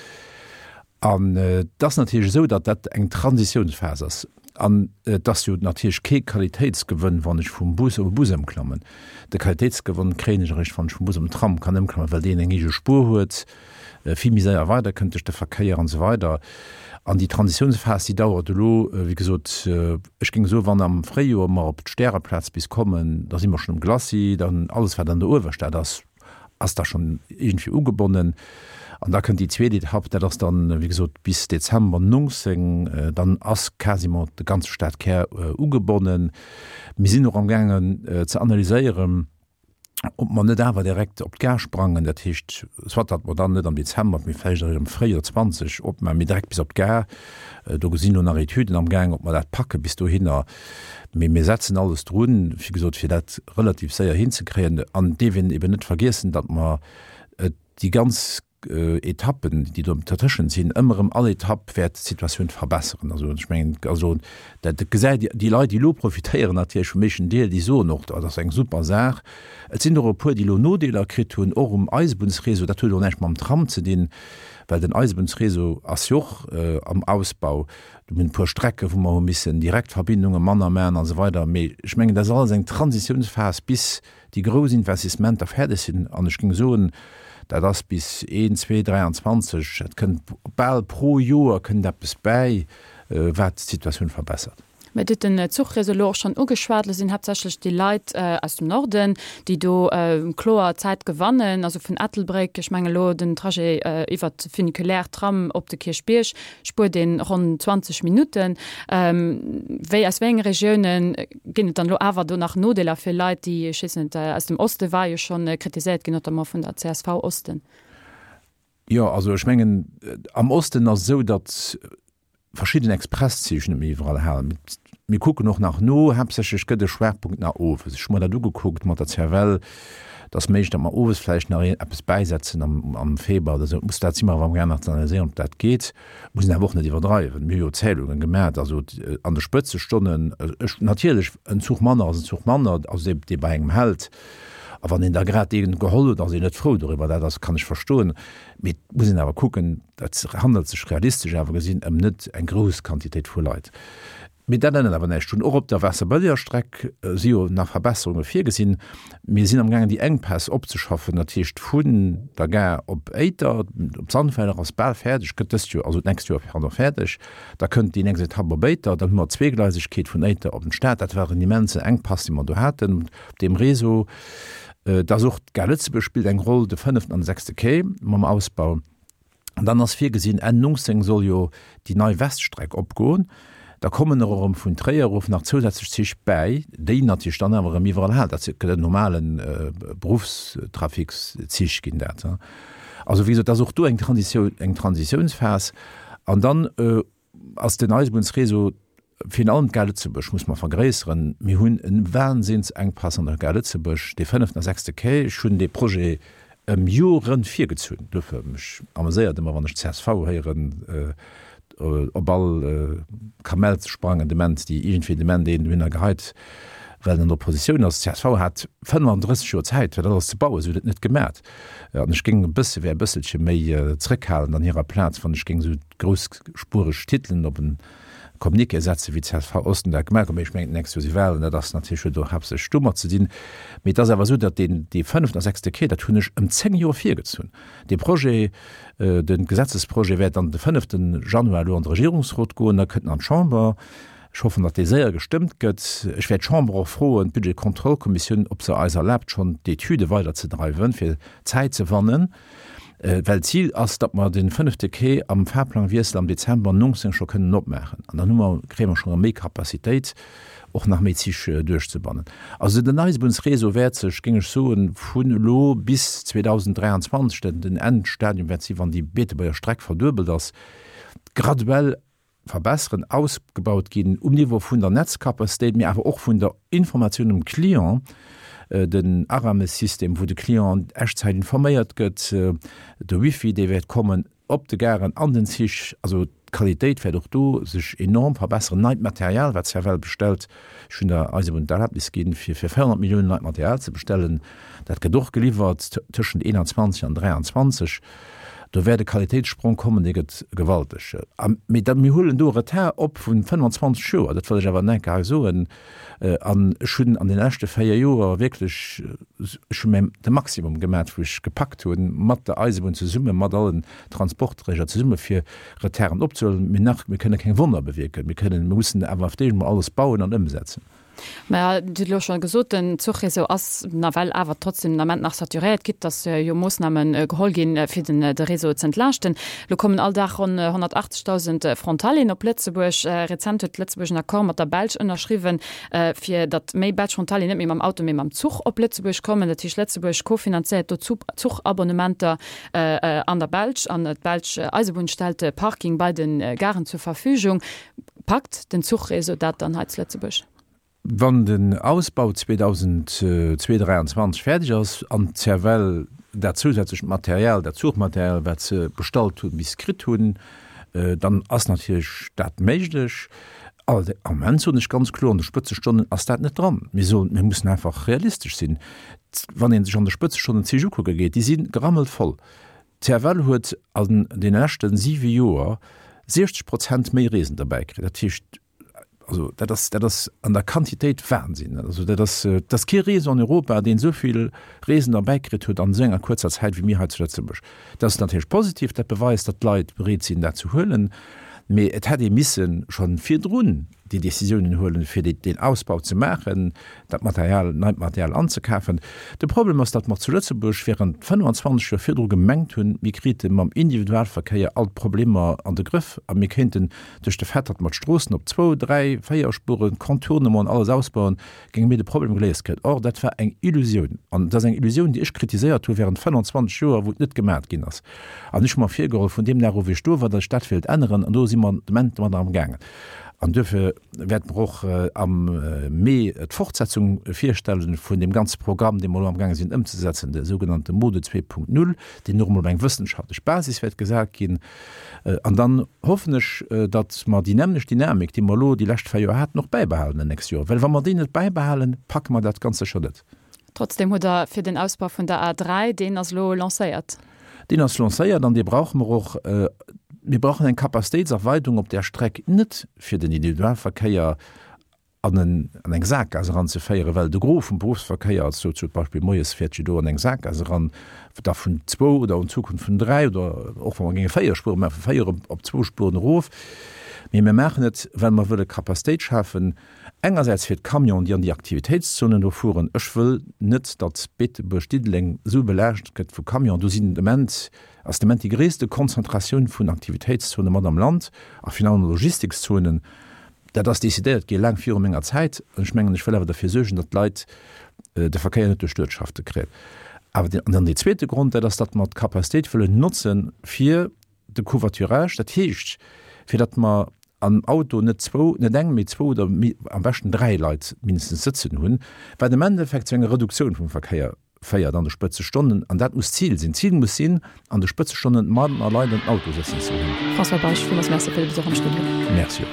An et ass natierlech esou, datt dat eng Transitiounsphas ass. An et ass jo natierlech kee Qualitéitsgewënn, wann ech vum Bus op e Bus ëmklammen. De Qualitéitsgewënn kréien ech eréischt, wann ech vum Bus op den Tram kann ëmklammen, well deen eng eege Spuer huet, vill méi séier weiderkënnt duerch de Verkéier an esou weider. An déi Transitiounsphas, déi dauert elo, wéi gesot, ech géing soen, wann am Fréijoer mer op d'Stäreplaz bis kommen, da si mer schonn um Glacis, dann alles, wat an der Uewerstad ass, ass da schonn iergendwéi ugebonnen. An da kënnt déi zweet Etapp, dat ass dann, wéi gesot, bis Dezember nonzéng, dann ass quasiment de ganze Stadkär ugebonnen. Mir sinn och amgaangen ze analyséieren, ob mer net awer direkt op d'Gare sprangen, dat heescht, soit datt mer dann net am Dezember, mee vläicht eréischt am Fréijoer zwanzeg opmaachen, mee direkt bis op d'Gare. Do sinn elo nach Etüden amgaang, ob mer dat packe bis dohinner. Mee mir setzen alles drun, wéi gesot, fir dat relativ séier hinzekréien. An et dierf een eben net vergiessen, datt mer déi ganz Etappen, déi do dertëschent sinn, ëmmer erëm all Etapp wäert d'Situatioun verbesseren. Also ech mengen, also dat gesäit Dir, déi Leit, déi elo profitéieren natierlech vum éischten Deel, déi soen och, dat ass eng super Saach. Et sinn och e puer, déi elo Nodeeler kritt hunn, och um Eisebunnsréseau. Dat huet och näischt mam Tram ze dinn, well den Eisebunnsréseau ass jo och am Ausbau. Do hunn e puer Strecke wou mer hu missen Direktverbindunge manner maachen a sou weider. Mee ech mengen, dat ass alles eng Transitiounsphas, bis déi grouss Investissementer fäerdeg sinn. An ech géing soen, dat ass bis een, zwee, dräianzwanzeg, dat kënnt bal pro Joer kënnt eppes bäi, wat d'Situatioun verbessert. Mä Dir hutt den Zuchréseau elo och schonn ugeschwat. Elo sinn haaptsächlech déi Leit aus dem Norden, déi do kloer Zäit gewannen, also vun Ettelbréck, ech mengen elo den Trajet iwwert de Funiculaire, Tram op de Kierchbierg, spuert een ronn zwanzeg Minutten. Wéi, aus wéi enge Regiounen ginn et dann elo awer do nach Nodeeler fir Leit, déi, ech weess net, aus dem Oste war jo schonn kritiséiert ginn, notamment vun der csv Osten? Jo, also ech mengen, am Osten ass et esou, datt verschidden Expresszich net méi iwwerall halen. Mir kucken och nach no, haaptsächlech gëtt e Schwerpunkt nach owes. Ech hu mer dat ugekuckt mat der C F L, et ass méiglech, datt mer owes vläicht nach eppes bäisetzen am am Februar oder esou. Muss dat si mer awer amgaang nach ze analyséieren, ob dat geet. Muss een awer och net iwwerdreiwen. Mir hu jo Zählunge gemaat, also an de Spëtzestonnen, ech natierlech en Zuch manner ass en Zuch manner, also dee dee bei engem hält. A wann een da grad dee geholl huet, ass een net frou doriwwer, dat ass kann ech verstoen. Mee et muss een awer kucken, dat handelt sech realistesch awer gesinn ëm net eng grouss Quantitéit vu Leit. Mee dat ännert awer näischt drun. Och op der Waasserbëlleger Streck si jo nach Verbesserunge virgesinn. Mir sinn amgaangen déi Enkpäss opzeschaffen, dat heescht vun der Gare op Éiter, op Sandweiler ass bal fäerdeg, gëtt dëst Joer, also d'nächst Joer, pardon, fäerdeg. Da kënnt déi nächst Etapp op Éiter, dann hu mer d'Zweegleisegkeet vun Éiter op den Stad. Dat war en immensen Enkpass, dee mer do haten op deem Réseau. Et ass och d'Gare Lëtzebuerg spillt eng Roll, de fënneften an de sechste Quai mam Ausbau. An dann ass virgesinn, Enn nonzéng soll jo déi nei Weststreck opgoen. Da kommen och erëm vun Tréier erof nach zousätzlech Zich bäi, déi natierlech dann awer erëm iwwerall halen. Dat gëtt en normale Beruffstrafikszich ginn dat. Also wéi gesot, et ass och do eng Transitioun, eng Transitiounsphas. An dann ass den Eisebunnsréseau, virun allem d'Gare Lëtzebuerg muss mer vergréisseren. Mir hunn e Wahnsinnsenkpass an der Gare Lëtzebuerg, dee fënneften a sechste Quai. Ech hunn dee Projet ëm Joren virgezunn. Duerfir, mech ameséiert ëmmer, wann ech csv héieren op all Kamell ze sprangen, de Ment, déi iergendwéi de Ment een dohinner geheit, well en an der Oppositioun ass. Csv hat fënnfanddrësseg Joer Zäit, fir dat alles ze bauen. Se hunn et net gemat. An ech géing e bësse, wär e bësselche méi zrëckhalend an hirer Plaz, wann ech géing esou groussspureg Titelen op en Communiqué setzen, wéi csv Osten dat gemaach huet. Mee ech mengen, d'nächst Joer si Wahlen, dat ass natierlech, huet och haaptsächlech domat ze dinn. Mee et ass awer esou, datt deen, dee fënneften a sechste Quai, dat hunn ech ëm zéng Joer virgezunn. Dee Projet, de Gesetzesprojet wäert dann de fënneften Januar elo an de Regierungsrot goen, da kënnt en an d'Chamber. Ech hoffen, datt dee séier gestëmmt gëtt. Ech wäert d'Chamber och froen, d'Budgetkontrollkommissioun, ob se eis erlaabt, schonn d'Etüde weiderzedreiwen, fir Zäit ze wannen. Well d'Zil ass, datt mer de fënnefte Quai am Fahrplangwiessel am Dezember nonzéng scho kënnen opmaachen. An dann hu mer, kréie mer scho erëm méi Capacitéit, och nach méi Zich duerchzebannen. Also den Eisebunnsréseau wäert sech, géing ech soen, vun elo bis zweedausenddräianzwanzeg, dat den Endstadium wäert sinn, wann déi Beetebuerger Streck verduebelt ass, graduell verbesseren, ausgebaut ginn um Niveau vun der Netzcapacitéit, mee awer och vun der Informatioun um Client, Den Aramis-System, wou de Client an Echtzäit informéiert gëtt, de Wifi, dee wäert kommen op de Garen, an den Zich. Also d'Qualitéit wäert och do sech enorm verbesseren. Neit Material, wat d'CFL bestellt, ech hunn der Eisebunn d'Erlaabnis ginn, fir fir véierhonnert Milliounen neit Material ze bestellen, dat gëtt och geliwwert tëschent eenanzwanzeg an dräianzwanzeg. Do wäert e Qualitéitssprong kommen, dee gëtt gewalteg. A mee da, mir huelen do e Retard op vu fënnfanzwanzeg Joer, dat wëll ech awer nach eng Kéier hei soen. An ech hunn an deene leschte véier Joer wierklech, ech hu mäi, de Maximum gemat, wou ech gepackt hunn, mat der Eisebunn zesummen, mat allen Transportträger zesummen, fir Retarden opzehuelen. Mee nach, mir kënne keng Wonner bewierken. Mir kënnen, mir mussen awer auf d'éischt emol alles bauen an ëmsetzen. Mä Dir hutt elo scho gesot, den Zuchréseau ass nawell awer trotzdem den Ament nach saturéiert, quitte dass jo Moossname geholl ginn, fir den de Réseau z'entlaaschten. Elo kommen all Dag ronn honnertachtzegdausend Frontalieren op Lëtzebuerg. Rezent huet Lëtzebuerg en Accord mat der Belsch ënnerschriwwen, fir datt méi belsch Frontalieren net méi mam Auto, mee mam Zuch op Lëtzebuerg kommen. Dat heescht, Lëtzebuerg kofinanzéiert do Zuchabonnementer an der Belsch an d'belsch Eisebunn stellt de Parking bei de Garen zur Verfügung. Packt den Zuchréseau dat dann hei zu Lëtzebuerg? Wann den Ausbau zweedausendzweedräianzwanzeg fäerdeg ass an d'CFL dat zousätzlecht Material, dat Zuchmaterial, wat se bestallt hunn, bis kritt hunn, dann ass natierlech dat méiglech. Am Ament soen ech ganz kloer, an de Spëtzestonnen ass dat net dran. Mir soen, mir mussen einfach realistesch sinn. Wann ee sech an de Spëtzestonnen d'Zich ukucke geet, déi si gerammelt voll. D'CFL huet an deene leschte siwe Joer siechzeg Prozent méi Reesend derbäi kritt. Dat heescht, also dat ass, dat ass an der Quantitéit Wahnsinn. Also dat ass, et ass kee Réseau an Europa, deen esou vill Reesend erbäikritt huet an esou enger kuerzer Zäit wéi mir hei zu Lëtzebuerg. Dat ass natierlech positiv, dat beweist, datt d'Leit bereet sinn, dat ze huelen. Mee et hätt ee misse scho virdrun déi Décisiounen huelen, fir deen Ausbau ze maachen, dat Material, neit Material anzekafen. De Problem ass, datt mer zu Lëtzebuerg während fënnfanzwanzeg Joer virdru gemengt hunn, mir krite mam Individualverkéier all d'Problemer an de Grëff a mir kéinten duerch de Fait, datt mer d'Stroossen op zwou, dräi, véier Spuren, Contournement an alles ausbauen, géinge mir de Problem geléist kréien. Or, dat war eng Illusioun. An dat ass eng Illusioun, déi ech kritiséiert hu während fënnfanzwanzeg Joer, wou et net gemat ginn ass. An ech hu mer virgeholl, vun deem Dag u wéi ech do war, datt ech dat wéilt änneren. An do si mer de Moment domadder amgaangen. An duerfir wäerte mer och am Mee d'Fortsetzung virstellen vun deem ganze Programm, dee mer elo amgaange sinn ëmzesetzen, de sougenannte Mode zwee Punkt null, deen och emol op eng wëssenschaftlech Basis wäert gesat ginn. An dann hoffen ech, datt mer déi nämmlecht Dynamik, déi mer elo déi lescht véier Joer haten, och bäibehalen déi nächst Joer. Well wa mer déi net bäibehalen, packe mer dat ganz sécher net. Trotzdem hutt Der fir den Ausbau vun der A dräi, deen ass elo lancéiert. Deen ass lancéiert an dee brauche mer och. Mir brauchen eng Capacitéitserweidung op där Streck, net fir den Individualverkéier an en, an eng Sakgaass eranzeféieren, well de Gros vum Beruffsverkéier, also zum Beispill moies fäert jo do an eng Sakgaass eran, da vun zwou oder an Zukunft vun dräi oder och wa mer géinge véier Spuere maachen, vu véier op, op zwou Spueren erof. Mee mir maachen et, well mer wëlle Capacitéit schafen, engersäits fir d'Camionen, déi an déi Aktivitéitszonen do fueren. Ech wëll net, datt Beetebuerg-Diddeleng esou belaascht gëtt vu Camionen. Do sinn de Moment, ass de Moment déi gréisste Konzentratioun vun Aktivitéitszone mat am Land a virun allem Logistikzonen. Dat ass decidéiert gi laang viru menger Zäit. An ech mengen, ech wëll awer derfir suergen, datt d'Leit de Verkéier net duerch d'Uertschafte kréien. Awer an dann dee zweete Grond, dat ass, datt mer d'Capacitéit wëllen notzen fir de Covoiturage, dat heescht, fir datt mer am Auto net zwou, net eng, mee zwou oder am beschten dräi Leit mindestens sëtzen hunn, wat am Endeffekt zu enger Reduktioun vum Verkéier féiert an de Spëtzestonnen. An dat muss d'Zil sinn. D'Zil muss sinn, an de Spëtzestonnen manner Leit an den Auto sëtzen ze hunn. François Bausch, villmools Merci fir de Besuch am Studio. Merci och.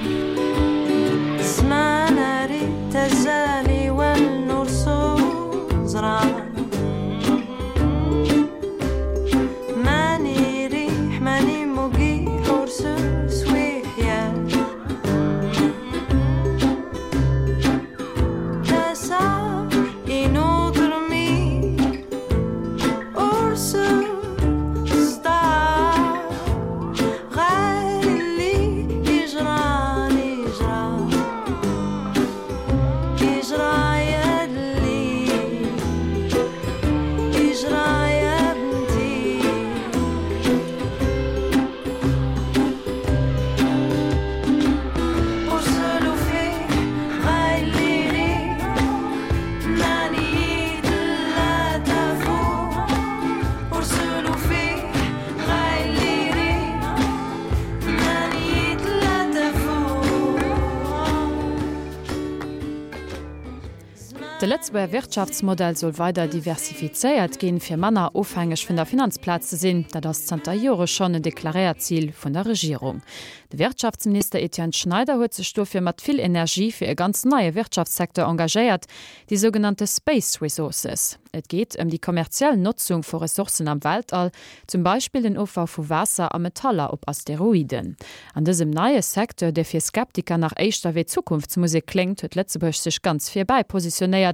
De Lëtzebuerger Wirtschaftsmodell soll weider diversifizéiert ginn, fir manner ofhängeg vun der Finanzplaz ze sinn. Dat ass zanter Jore schonn en deklaréiert Zil vun der Regierung. De Wirtschaftsminister Etienne Schneider huet sech dofir mat vill Energie fir e ganz neie Wirtschaftssecteur engagéiert, déi sougenannte Space Resources. Et geet ëm déi kommerziell Notzung vu Ressourcen am Weltall, zum Beispill den Ofbau vu Waasser a Metaller op Asteroiden. An dësem neie Secteur, dee fir Skeptiker nach éischter wéi Zukunftsmusek kléngt, huet Lëtzebuerg sech ganz vir bäi positionéiert.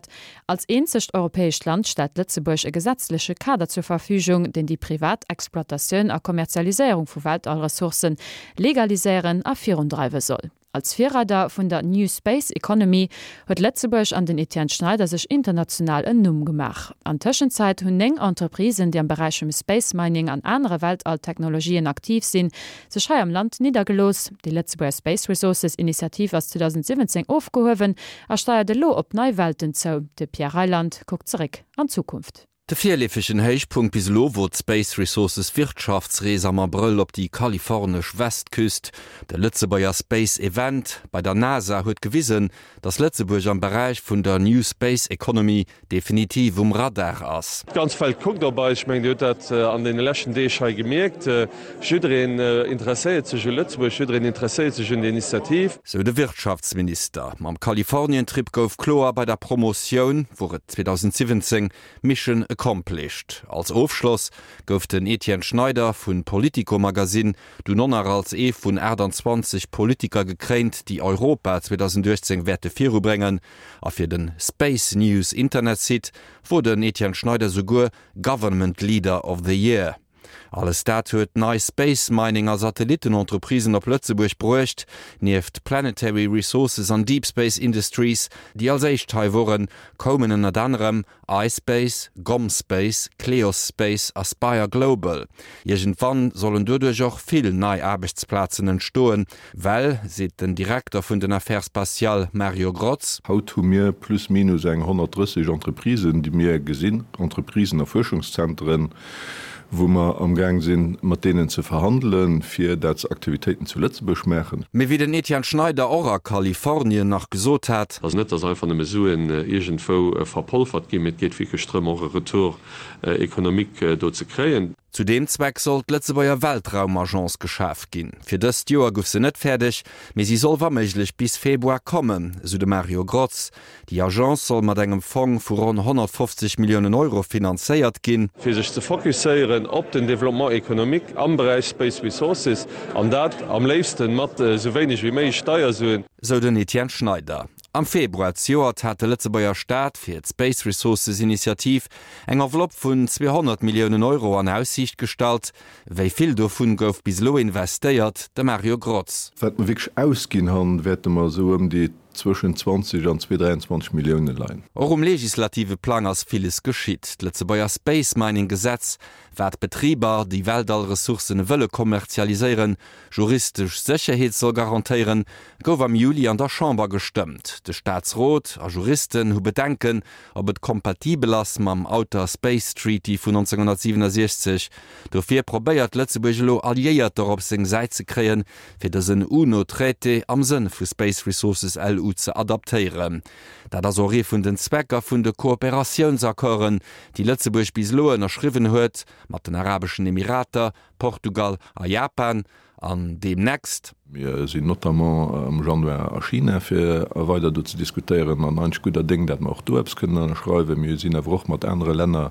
Als eenzegt europäescht Land stellt Lëtzebuerg e gesetzleche Kader zur Verfügung, deen déi privat Exploitatioun a Kommerzialiséierung vu Weltallressourcen legaliséieren a virundreiwe soll. Als Virreider vun der New Space Economy huet Lëtzebuerg an den Etienne Schneider sech international en Numm gemaach. An Tëschenzäit hunn néng Entreprisen, déi am Beräich vum Space Mining an anere Weltalltechnologien aktiv sinn, sech hei am Land niddergelooss. Déi Lëtzebuerger Space Resources Initiativ ass zweedausendsiwwenzéng ofgehuewen a steiert elo op nei Welten zou. De Pierre Reyland kuckt zeréck an d'Zukunft. De virleefegen Héichpunkt bis elo wor d'Space Resources Wirtschaftsrees am Abrëll op déi kalifornesch Westküst. De Lëtzebuerger Space Event bei der NASA huet gewisen, datt Lëtzebuerg am Beräich vun der New Space Economy definitiv um Radar ass. D'ganz Welt kuckt op eis. Ech mengen, Dir hutt dat an deene leschten Deeg hei gemierkt. Jiddereen interesséiert sech u Lëtzebuerg, jiddereen interesséiert sech un der Initiativ. Sou de Wirtschaftsminister. Mam Kalifornien-Trip gouf kloer, bei der Promotioun wor et zweedausendsiwwenzéng Mission accomplished. Als Ofschloss gouf den Etienne Schneider vun Politico Magazine dunn och nach als ee vun aachtanzwanzeg Politiker gekréint, déi Europa zweedausenduechtzéng wäerte virubréngen. A fir de Space News Internetsite wor den Etienne Schneider souguer Government Leader of the Year. Alles dat huet nei Space Mining a Satellittenentreprisen op Lëtzebuerg bruecht. Nieft Planetary Resources an Deep Space Industries, déi als éischt hei woren, koumen ënnert anerem iSpace, GomSpace, Kleos Space a Spire Global. Iergendwann sollen doduerch och vill nei Aarbechtsplazen entstoen, well, seet den Direkter vun den Affaires spatiales Mario Grotz. Haut hu mir plus minus eng honnertdrësseg Entreprisen, déi mir gesinn, Entreprisen a Fuerschungszenteren, wou mer amgaang sinn, mat deenen ze verhandelen, fir dat se Aktivitéiten zu Lëtzebuerg maachen. Mee wéi den Etienne Schneider och a Kalifornien nach gesot hat. Also net, dass einfach nëmme Suen iergendwou verpolfert ginn, mee et geet wierklech drëm, och e Retour économique do ze kréien. Zu deem Zweck soll d'Lëtzebuerger Weltraumagence geschaf ginn. Fir dëst Joer guff se net fäerdeg, mee si soll wa méiglech bis Februar kommen, esou de Mario Grotz. Déi Agence soll mat engem Fong vu ronn honnertfofzeg Milliounen Euro finanzéiert ginn. Fir sech ze fokusséieren op den Développement économique am Beräich Space Resources, an dat am léifsten mat esou wéineg wéi méiglech Steiersuen. Sou den Etienne Schneider. Am Februar zejoert hat de Lëtzebuerger Staat fir d'Space Resources Initiativ eng Enveloppe vun zweehonnert Milliounen Euro an Aussiicht gestallt. Wéi vill dovun gouf bis elo investéiert? De Mario Grotz. Wat mer wierklech ausginn han, wäerte mer esou ëm déi zwëschen zwanzeg an zweedräianzwanzeg Millioune leien. Och um legislative Plang ass villes geschitt. D'Lëtzebuerger Space Mining Gesetz, wat Betriber, déi Weltallressourcen wëlle kommerzialiséieren, juristesch Sécherheet soll garantéieren, gouf am Juli an der Chamber gestëmmt. De Staatsrot a Juristen hu Bedenken, ob et kompatibel ass mam Outer Space Treaty vun nonzénghonnertsiwwenundsechzeg. Dofir probéiert Lëtzebuerg elo Alliéierter op seng Säit ze kréien, fir dësen UNO-Traité am Sënn vu Space Resources L U ze adaptéieren. Dat ass och ee vun den Zwecker vun de Kooperatiounsaccorden, déi Lëtzebuerg bis elo ënnerschriwwen huet mat den Arabeschen Emirater, Portugal a Japan, an deemnächst. Mir sinn notamment am Januar a China, fir weider do ze diskutéieren an eigentlech gudder Déng, dat mer och do eppes kënnen ënnerschreiwen. Mir sinn awer och mat anere Länner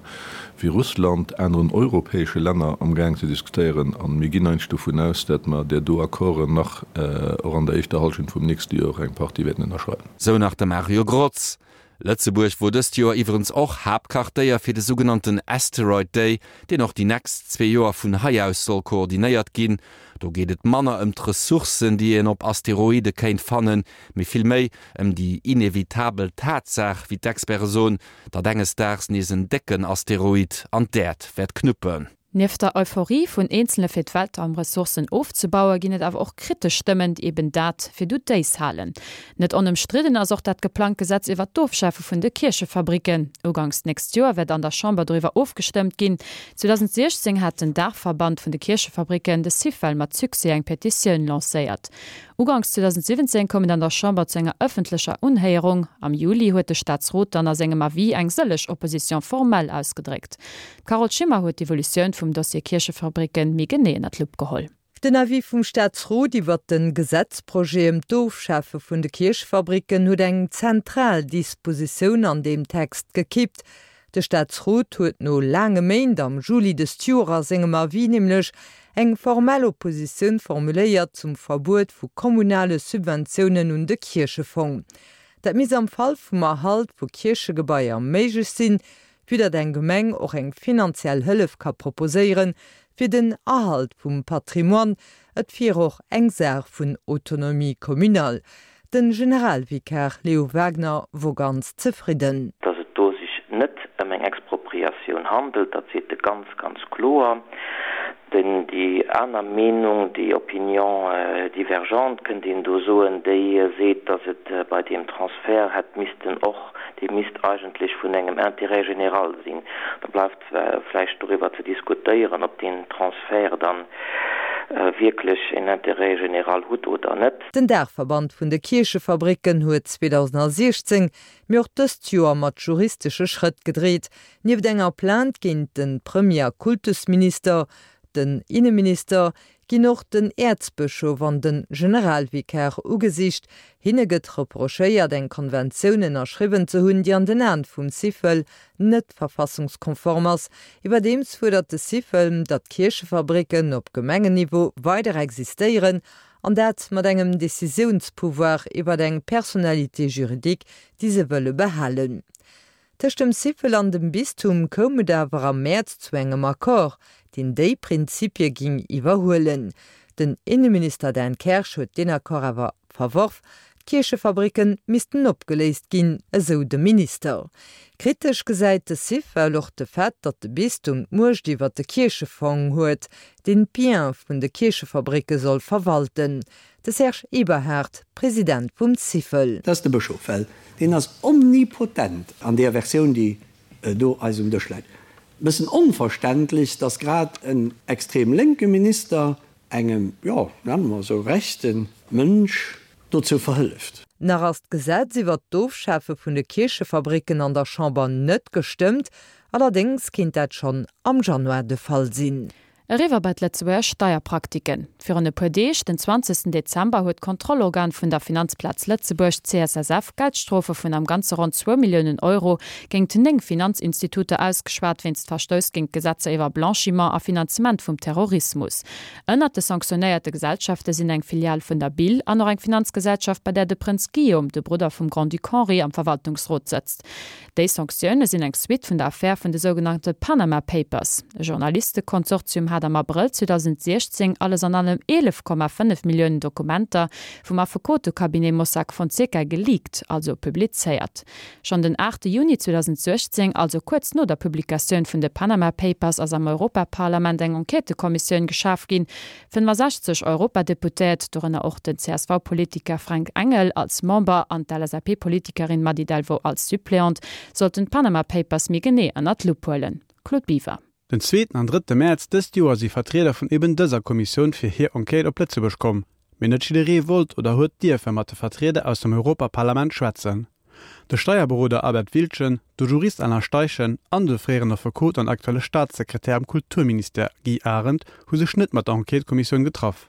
wéi Russland, aneren europäesche Länner amgaang ze diskutéieren a mir ginn eigentlech dovun aus, dat mer där do Accorden nach och an der éischter Hallschent vum nächste Joer eng Partie wäerten ënnerschreiwen. Sou nach de Mario Grotz. Lëtzebuerg wor dëst Joer iwwerens och Haaptquartéier fir de sougenannten Asteroid Day, deen och déi nächst zwee Joer vun hei aus soll koordinéiert ginn. Do geet et manner ëm d'Ressourcen, déi een op Asteroide kéint fannen, mee vill méi ëm déi inevitabel Tatsaach, wéi d'Experte soen, datt enges Daags nees en décken Asteroid an d'Äerd wäert knuppen. Nieft der Euphorie vun Eenzele fir d'Weltraumressourcen ofzebauen, ginn et awer och kritesch Stëmmen, déi eben dat fir doutéis halen. Net onëmstridden ass och dat geplangt Gesetz iwwert d'Ofschafe vun de Kierchefabricken. Uganks d'nächst Joer wäert an der Chamber doriwwer ofgestëmmt ginn. zweedausendsechzéng hat den Daachverband vun de Kierchefabricken, de Syfel, mat Succès eng Petitioun lancéiert. Uganks zweedausendsiwwenzéng koum et an der Chamber zu enger ëffentlecher Unhéierung. Am Juli huet de Staatsrot dann a sengem Avis eng sëlleg Opposition formelle ausgedréckt. D'Carole Schimmer huet d'Evolutioun vum Dossier Kierchefabricken méi genee ënner d'Lupp geholl. Den Avis vum Staatsrot iwwert de Gesetzprojet ëm d'Ofschafe vun de Kierchefabricken huet eng zentral Dispositioun an deem Text gekippt. De Staatsrot huet no laange Méint am Juli dëst Joer a sengem Avis nämlech eng formell Oppositioun formuléiert zum Verbuet vu kommunale Subventiounen un de Kierchefong. Dat misst am Fall vum Erhalt vu Kierchegebaier méiglech sinn, vue datt eng Gemeng och eng finanziell Hëllef ka proposéieren, fir den Erhalt vum Patrimoine. Et wier och eng Saach vun Autonomie communale. Den Generalvikar Leo Wagner wor ganz zefridden. Dass et do sech net ëm eng Expropriatioun handelt, dat seet e ganz, ganz kloer. Den, déi aner Meenung, déi Opinion divergente, kënnt een do soen, déi seet, dass et bei deem Transfert hätt missten och, dee misst eigentlech vun engem Intérêt général sinn. Da bleift vläicht doriwwer ze diskutéieren, ob deen Transfert dann wierklech en Intérêt général hutt oder net. Den Daachverband vun de Kierchefabricken huet zweedausensiechzéng, mee och dëst Joer mat juristesche Schrëtt gedreet. Nieft enger Plainte géint de Premier a Kultusminister, den Inneminister, ginn och den Äerzbëschof an de Generalvikar ugesicht. Hinne gëtt reprochéiert, eng Konventioun ënnerschriwwen ze hunn, déi an den Aen vum Syfel net verfassungskonform ass. Iwwerdeems fuerdert de Syfel, datt d'Kierchefabricken op Gemengenniveau weider existéieren, an dat mat engem Decisiounspouvoir iwwer eng Personnalité juridique, déi se wëlle behalen. Tëscht dem Syfel an dem Bistum koum et awer am Mäerz zu engem Accord, deen déi Prinzipie ging iwwerhuelen. Den Inneminister Dan Kersch huet deen Accord awer verworf. D'Kierchefabricke missten opgeléist ginn, esou de Minister. Kritesch gesäit de Syfel och de Fait, datt de Bistum d'Muecht iwwer de Kierchefong huet, deen d'Biens vun de Kierchefabricke soll verwalten. De Serge Eberhard, President vum Syfel. Dat ass de Bëschof, well deen ass omnipotent an deeër Versioun, déi do eis um Dësch läit. E bëssen onverständlech, datt grad en extrem lénke Minister engem, jo, nenne mer esou, rechte Mënsch dozou verhëlleft. Nach ass d'Gesetz iwwert d'Ofschafe vun de Kierchefabricken an der Chamber net gestëmmt, allerdéngs kéint dat schonn am Januar de Fall sinn. Eriwwer bei d'Lëtzebuerger Steierpraktiken. Virun e puer Deeg, den zwanzegsten Dezember, huet d'Kontrollorgan vun der Finanzplaz Lëtzebuerg, C S S F, Geldstrofe vun am Ganze ronn zwou Milliounen Euro géingt néng Finanzinstituter ausgeschwat wéinst Verstouss géint d'Gesetzer iwwer Blanchiment a Finanzement vum Terrorismus. Ënnert de sanktionéierte Gesellschafte sinn eng Filial vun der B I L an och eng Finanzgesellschaft, bei där de Prënz Guillaume, de Brudder vum Grand-Duc Henri, am Verwaltungsrot sëtzt. Déi Sanktioune sinn eng Suite vun der Affär vun de sougenannte Panama Papers. E Journalistekonsortium hat am Abrëll zweedausendsiechzéng alles an allem eelef Komma fënnef Milliounen Dokumenter vum Affekotecabinet Mossack Fonseca geleakt, also publizéiert. Schonn den aachte Juni zweedausendsiechzéng, also kuerz no der Publikatioun vun de Panama Papers, ass am Europaparlament eng Enquêtëkommissioun geschaf ginn. fënnefasechzeg Europadeputéiert, dorënner och den C S V-Politiker Frank Engel als Member an d'L S A P-Politikerin Mady Delvaux als Suppleante, sollten d'Panama Papers méi genee ënner d'Lupp huelen. Claude Biver. Den zweeten an drëtte Mäerz dëst Joer si Vertrieder vun eben dëser Kommissioun fir hir Enquête op Lëtzebuerg komm. Mee net jidderee wollt oder huet dierfe mat de Vertrieder aus dem Europaparlament schwätzen. De Steierberoder Albert Wildgen, de Jurist Alain Steichen an de fréieren Affekot an aktuelle Staatssekretär am Kulturministère Guy Arendt hu sech net mat der Enquête-Kommissioun getraff.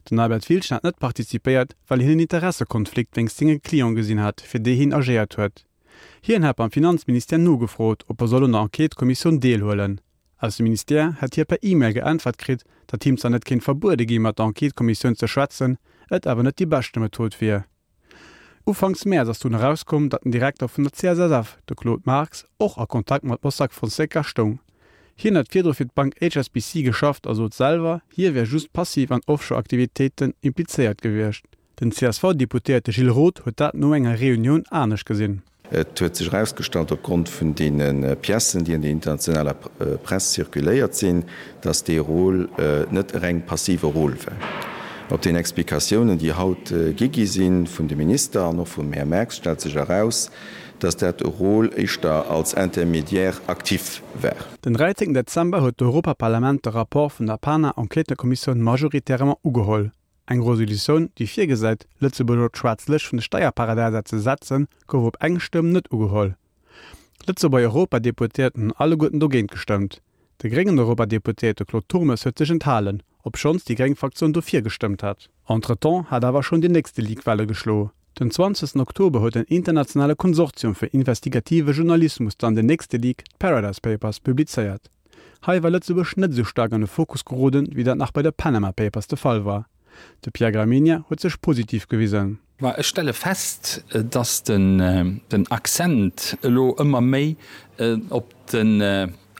Den Albert Wildgen hat net participéiert, well hien en Interessekonflikt wéinst senge Cliente gesinn hat, fir déi hien agéiert huet. Hien hat beim Finanzministère nogefrot, ob e soll un der Enquête-Kommissioun deelhuelen. Aus dem Ministère hätt hie per E-Mail geäntwert kritt, datt him zwar net kéint verbuede gi mat der Enquête-Kommissioun ze schwätzen, et awer net déi beschte Method wier. Ufanks Mäerz ass dunn erauskomm, datt den Direkter vun der C S S F, de Claude Marx, och a Kontakt mat Mossack Fonseca stoung. Hien hat virdru fir d'Bank H S B C geschafft a sot selwer, hie wär just passiv an Offshore-Aktivitéiten implizéiert gewiescht. Den C S V-Deputéierte Gilles Roth huet dat no enger Reunioun anescht gesinn. Et huet sech erausgestallt opgrond vun deene Piècen, déi an der internationaler Press zirkuléiert sinn, dass dee Rôle net e reng passive Rôle war. Op den Explikatiounen, déi haut gi gi si vun de Minister an och vum Här Merx, stellt sech eraus, dass dat e Rôle éischter als Intermédiaire actif war. Den dräizéngten Dezember huet d'Europaparlament de Rapport vun der PANA-Enquêtëkommissioun majoritairement ugeholl. Eng Resolutioun, déi virgesäit, Lëtzebuerg op d'schwaarz Lëscht vun de Steierparadäiser ze setzen, gouf op eng Stëmm net ugeholl. D'Lëtzebuerger Europadeputéierten hunn alleguerten dogéint gestëmmt. De gréngen Europadeputéierte Claude Turmes huet sech enthalen, obschonns déi gréng Fraktioun dofir gestëmmt hat. Entretemps hat awer schonn deen nächste Leak Welle geschlo. Den zwanzegsten Oktober huet en internationale Konsortium fir investigative Journalismus dann den nächste Leak, d'Paradise Papers, publizéiert. Hei war Lëtzebuerg net esou staark an de Fokus geroden, wéi dat nach bei de Panama Papers de Fall war. De Pierre Gramegna huet sech positiv gewisen. Ma ech stelle fest, dass den Accent elo ëmmer méi op den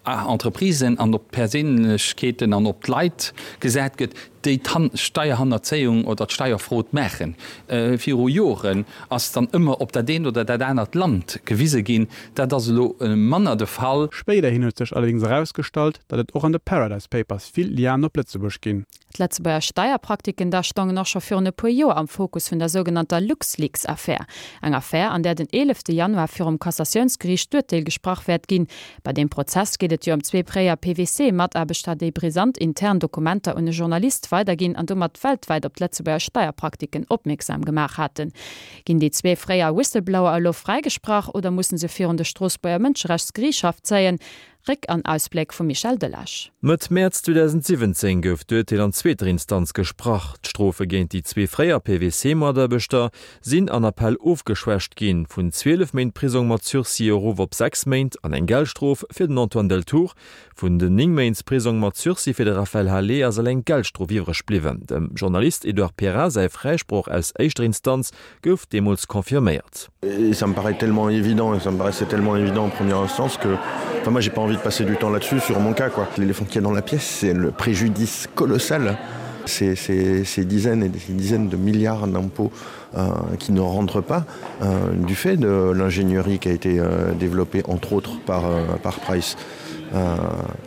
Entreprisen an op d'Perséinlechkeeten an op d'Leit gesat gëtt, déi d'Steierhannerzéiung oder d'Steierfrod maachen. Viru Joren ass dann ëmmer op dat eent oder dat anert Land gewise ginn. Dat ass elo manner de Fall. Spéiderhin huet sech allerdéngs erausgestallt, datt et och an de Paradise Papers vill Lianen op Lëtzebuerg ginn. D'Lëtzebuerger Steierpraktiken da stongen och scho virun e puer Joer am Fokus vun der sougenannter LuxLeaks-Affär. Eng Affär, an där den eelefte Januar virum Cassatiounsgeriicht d'Urteel gesprach wäert ginn. Bei deem Prozess geet et jo ëm zwee fréier P W C-Mataarbechter, déi brisant intern Dokumenter un e Journalist weiderginn an domat weltwäit op d'Lëtzebuerger Steierpraktiken opmierksam gemaach haten. Ginn déi zwee fréier Whistleblower elo fräigesprach oder mussen se virun de Stroossbuerger Mënscherechtsgeriichtshaff zéien? Réck an Ausbléck vum Michel Delage. Mëtt Mäerz zweedausendsiwwenzéng gouf d'Urteel an zweeter Instanz gesprach. D'Strofe géint déi zwee fréier P W C-Mataarbechter sinn an Appell ofgeschwächt ginn, vun zwielef Méint Prisong mat Sursis erof op sechs Méint an eng Geldstrof fir den Antoine Deltour. Vun den néng Méint Prisong mat Sursis fir de Raphaël Halet ass eleng d'Geldstrof iwwreg bliwwen. Dem Journalist Edouard Perrin säi Fräisproch aus éischter Instanz gouf deemools confirméiert. Et ça me paraît tellement évident et ça me paraissait tellement évident en première instance que enfin moi j'ai pas envie de passer du temps là-dessus sur mon cas quoi. L'éléphant qu'il y a dans la pièce, c'est le préjudice colossal. C'est ces, ces dizaines et des dizaines de milliards d'impôts euh, qui ne rentrent pas euh, du fait de l'ingénierie qui a été euh, développée entre autres par, euh, par Price. Euh,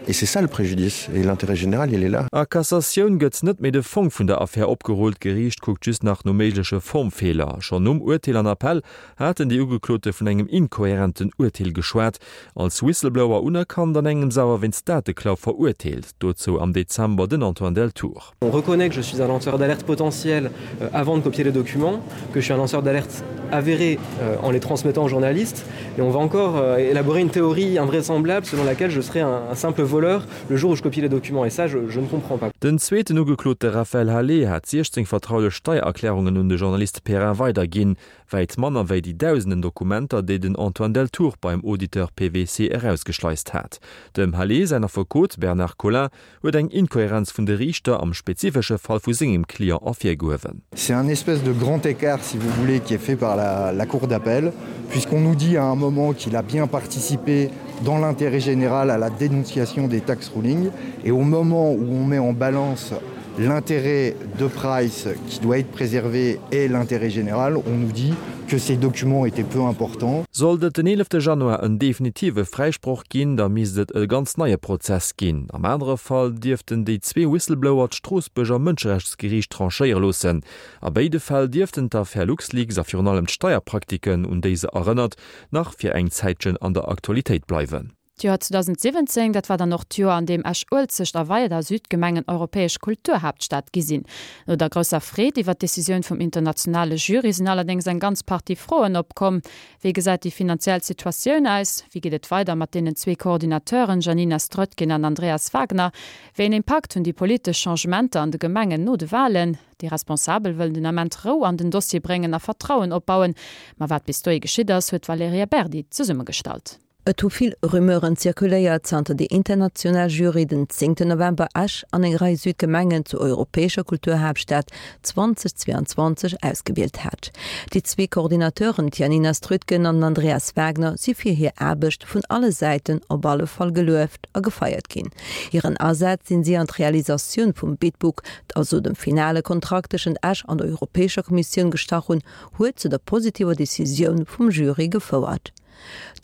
et c'est ça le préjudice et l'intérêt général il est là. A Cassatioun gëtt net méi de Fong vun der Affär opgerullt, d'Geriicht kuckt just nach no méigleche Formfeeler. Schonn nom Urteel an Appell haten déi Ugeklote vun engem inkohärenten Urteel geschwat, als Whistleblower unerkannt, an engems awer wéinst Dateklau verurteelt, dozou am Dezember den Antoine Deltour. On reconnaît que je suis un lanceur d'alerte potentiel avant de copier les documents, que je suis un lanceur d'alerte avéré en les transmettant aux journalistes et on va encore élaborer une théorie invraisemblable selon laquelle je serais un simple voleur le jour où je copie les documents et ça je, je ne comprends pas. Den zweeten Ugeklote Raphaël Halet hat siechzéng vertraulech Steiererklärungen un de Journalist Perrin weiderginn, wäit manner wéi déi dausenden Dokumenter, déi den Antoine Deltour beim Auditeur P W C erausgeschleist hat. Dem Halet säin Affekot Bernard Collin huet eng Inkohärenz vun de Riichter am spezifesche Fall vu sengem Client ervirgehuewen. C'est un espèce de grand écart, si vous voulez, qui est fait par la, la cour d'appel, puisqu'on nous dit à un moment qu'il a bien participé dans l'intérêt général à la dénonciation des tax rulings, et au moment où on met en balance l'intérêt de Price qui doit être préservé et l'intérêt général, on nous dit que ces documents étaient peu importants. Sollt et den eelefte Januar en definitive Fräisproch ginn, da misst et e ganz neie Prozess ginn. Am anere Fall dierften déi zwee Whistleblower d'Stroossbuerger Mënscherechtsgeriicht tranchéiere loossen. A béide Fäll dierften d'Affär LuxLeaks a virun allem d'Steierpraktiken, un déi se erënnert, nach fir eng Zäitchen an der Aktualitéit bleiwen. D'Joer zweedausendsiwwenzéng, dat war dann och d'Joer, an deem Esch-Uelzecht a weider Südgemengen europäesch Kulturhaaptstad gi sinn. No der grousser Freed iwwer d'Decisioun vum internationale Jury sinn allerdéngs eng ganz Partie Froen opkomm. Wéi gesäit déi finanziell Situatioun aus? Wéi geet et weider mat deenen zwee Coordinateuren Janina Strötgen an Andreas Wagner? Wéi een Impakt hunn déi politesch Changementer an de Gemengen no de Walen? Déi Responsabel wëllen den Ament Rou an den Dossier bréngen a Vertrauen opbauen. Ma wat bis dohi geschitt ass, huet d'Valerija Berdi zesummegestallt. Et hu vill Rumeuren zirkuléiert, zanter déi international Jury den zéngten November Esch an eng Rei Südgemengen zur europäescher Kulturhaaptstad zweedausendzweianzwanzeg ausgewielt hat. Déi zwee Coordinateuren Janina Strötgen an Andreas Wagner si fir hir Aarbecht vun alle Säiten op alle Fall gelueft a gefeiert ginn. Hiren Asaz, deen si an d'Realisatioun vum Bid Book, also dem finale Kontrakt tëschent Esch an der Europäescher Kommissioun gestach hunn, huet zu der positiver Decisioun vum Jury gefouert.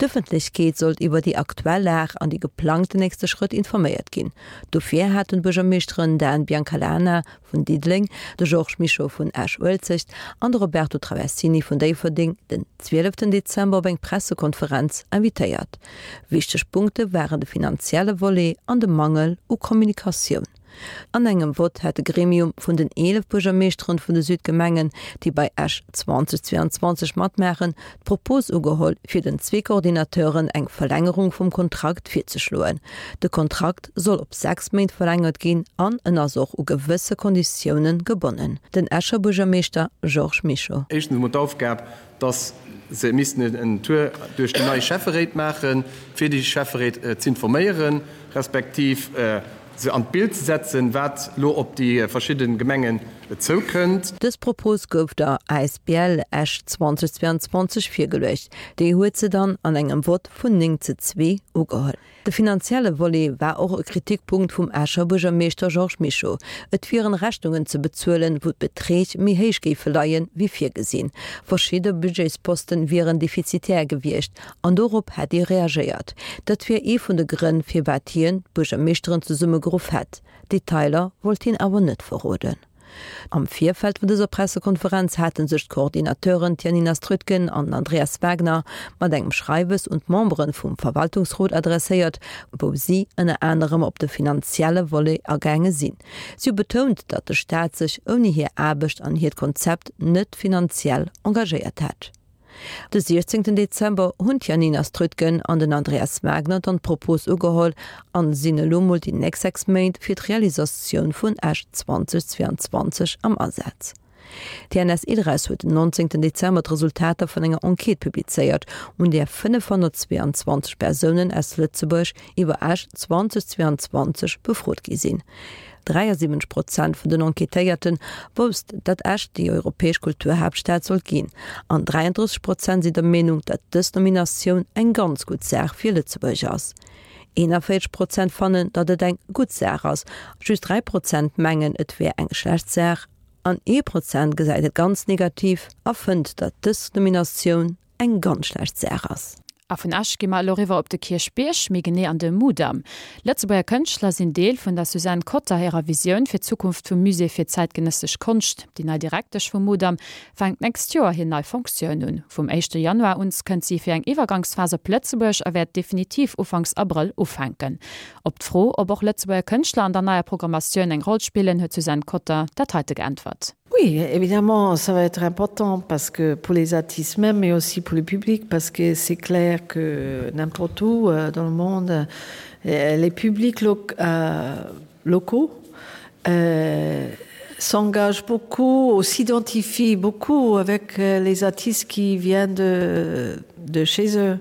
D'Ëffentlechkeet sollt iwwer déi aktuell Lag an déi geplangten nächste Schrëtt informéiert ginn. Dofir haten d'Buergermeeschteren Dan Biancalana vun Diddeleng, de Georges Mischo vun Esch-Uelzecht an de Roberto Traversini vun Déifferdeng den zwieleften Dezember op eng Pressekonferenz invitéiert. Wichteg Punkte waren de finanzielle Volet an de Mangel u Kommunikatioun. An engem Vott hat de Gremium vun den eelef Buergermeeschteren vun de Südgemengen, déi bei Esch zweitausendzweiundzwanzeg matmaachen, d'Propos ugeholl, fir den zwee Coordinateuren eng Verlängerung vum Kontrakt virzeschloen. De Kontrakt soll op sechs Méint verlängert ginn an en ass och u gewësse Konditioune gebonnen. Den Escher Buergermeeschter Georges Mischo. Éischtens emol d'Aufgab, dass se missten en Tour duerch déi nei Schäfferéit maachen, fir déi Schäfferéit z'informéieren, respektiv se an d'Bild ze setzen, wat elo op déi verschidde Gemengen zoukënnt. Dës Propos gouf der asbl Esch zweitausendzweiundzwanzeg virgeluecht. Déi huet se dann an engem Vott vun néng ze zwee ugeholl. De finanzielle Volet war och e Kritikpunkt vum Escher Buergermeeschter Georges Mischo. Et wieren Rechnungen ze bezuelen, wou d'Beträg méi héich géife leien, wéi virgesinn. Verschidde Budgetsposten wieren defizitär gewiescht an dorop hätt ee reagéiert. Dat wier ee vun de Grënn, firwat hien d'Buergermeeschteren zesummegeruff hätt. Detailer wollt hien awer net verroden. Am Virfeld vun dëser Pressekonferenz hate sech d'Coordinateuren d'Janina Strötgen an den Andreas Wagner mat engem Schreiwes un d'Membere vum Verwaltungsrot adresséiert, wou si ënner anerem op de finanzielle Volet agaange sinn. Si hu betount, datt de Staat sech ouni hir Aarbecht an hiert Konzept net finanziell engagéiert hätt. De siechzéngten Dezember hunn d'Janina Strötgen an den Andreas Wagner dann d'Propos ugeholl an sinn elo mol déi nächst sechs Méint fir d'Realisatioun vun Esch zweitausendzweiundzwanzeg am Asaz. D'T N S Ilres huet den nonzéngten Dezember d'Resultater vun enger Enquête publizéiert, un där fënnefhonnertzweeanzwanzeg Persounen aus Lëtzebuerg iwwer Esch zweitausendzweiundzwanzeg befrot gi sinn. dräiasiwwenzeg Prozent vun den Enquêtéierte wousst, datt Esch déi europäesch Kulturhaaptstad sollt ginn, an dräiandrësseg Prozent sinn der Meenung, datt dës Nominatioun eng ganz gutt Saach fir Lëtzebuerg ass. Eenanvéierzeg Prozent fannen, datt et eng gutt Saach ass, just dräi Prozent mengen, et wär eng schlecht Saach an ee Prozent gesäit et ganz negativ a fënnt, datt dës Nominatioun eng ganz schlecht Saach ass. A vun Esch gi mer elo eriwwer op de Kierchbierg, méi genee an de Mudam. Lëtzebuerger Kënschtler sinn Deel vun der Suzanne Cotter hirer Visioun fir d'Zukunft vum Musée fir zäitgenëssesch Konscht. Déi nei Direktesch vum Mudam fänkt d'nächst Joer hir nei Fonctioun un. Vum éischte Januar un kënnt si fir eng Iwwergangsphas op Lëtzebuerg a wäert definitiv ufanks Abrëll ufänken. Op d'Fro, ob och Lëtzebuerger Kënschtler an der neier Programmatioun eng Roll spillen, huet d'Suzanne Cotter dat heite geäntwert. Oui, évidemment, ça va être important parce que pour les artistes même, mais aussi pour le public, parce que c'est clair que n'importe où euh, dans le monde, euh, les publics lo euh, locaux euh, s'engagent beaucoup ou s'identifient beaucoup avec euh, les artistes qui viennent de, de chez eux.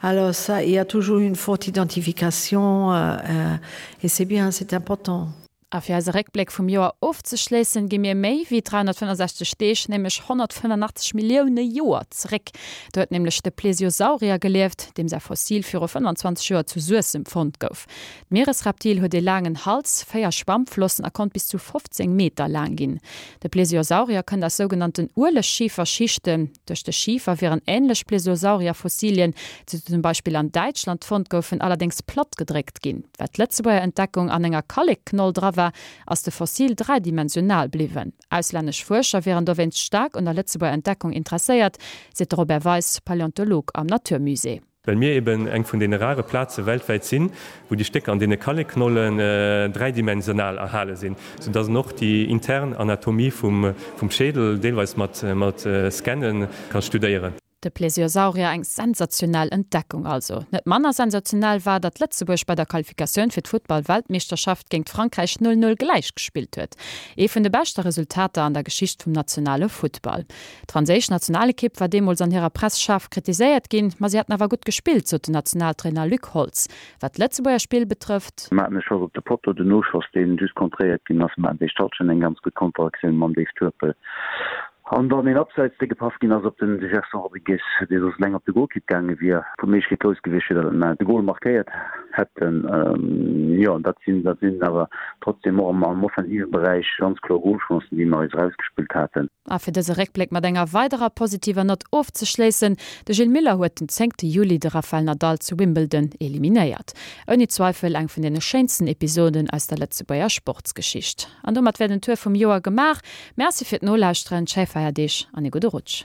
Alors ça, il y a toujours une forte identification euh, euh, et c'est bien, c'est important. A fir eise Réckbléck vum Joer ofzeschléissen, gi mir méi wéi dräihonnertfënnefsechzeg Deeg, nämlech honnertfënnefenachtzeg Millioune Joer zeréck. Do huet nämlech de Plesiosaurier gelieft, deem säi Fossil viru fënnfanzwanzeg Joer zu Suessem fonnt gouf. D'Mieresreptil huet ee laangen Hals, véier Schwammflossen a konnt bis zu fofzéng Meter laang ginn. De Plesiosaurier kënnt aus sougenannten Uelegschieferschichten. Duerch de Schifer wieren änlech Plesiosaurier-Fossilien, déi zum Beispill an Däitschland fonnt goufen, allerdéngs plattgedréckt ginn. Well d'Lëtzebuerger Entdeckung an enger Kallekknoll dra war, ass de Fossil dräidimensional bliwwen. Auslännesch Fuerscher wieren dowéinst staark un der Lëtzebuerger Entdeckung interesséiert, seet de Robert Weis, Paläontolog am Naturmusée. Well mir eben eng vun deene rare Plaze weltwäit sinn, wou déi Stécker an deene Kallekknollen dräidimensional erhale sinn, soudass en och déi intern Anatomie vum Schädel deelweis mat Scanne ka studéieren. De Plesiosaurier, eng sensationell Entdeckung also. Net manner sensationell war, datt Lëtzebuerg bei der Qualifikatioun fir d'Futtball-Weltmeeschterschaft géint Frankräich null null gläich gespillt huet. Ee vun de beschte Resultater an der Geschicht vum nationale Futtball. D'franséisch Nationalekipp war deemools an hirer Press schaarf kritiséiert ginn, ma si hätten awer gutt gespillt, sot den Nationaltrainer Luc Holtz. Wat d'Lëtzebuerger Spill betrëfft. Mer haten e Schoss op de Potto, den Noschoss, deen just kontréiert ginn ass. Mer haten déi Stallchen eng ganz gutt Konteraktioun mam Dave Turpel. An dann een Abseits, dee gepaff ginn ass op den Gerson Rodrigues, dee soss eleng op de Golkipp gaange wier, wou d'Méiglechkeet grouss gewiescht wier, datt mer de Gol markéiert hätten. Jo, dat sinn, dat sinn awer trotzdem och am offensive Beräich ganz kloer Golchancen, déi mer eis erausgespillt haten. A fir dëse Réckbléck mat enger weiderer positiver Nott ofzeschléissen, De Gilles Muller huet den zéngte Juli de Rafael Nadal zu Wimbledon eliminéiert. Ouni Zweifel eng vun deene schéinsten Episoden aus der Lëtzebuerger Sportsgeschicht. An domat wär den Tour vum Joer gemaach. Merci fir d'Nolauschteren, schéi Feierdeeg an ee gudde Rutsch.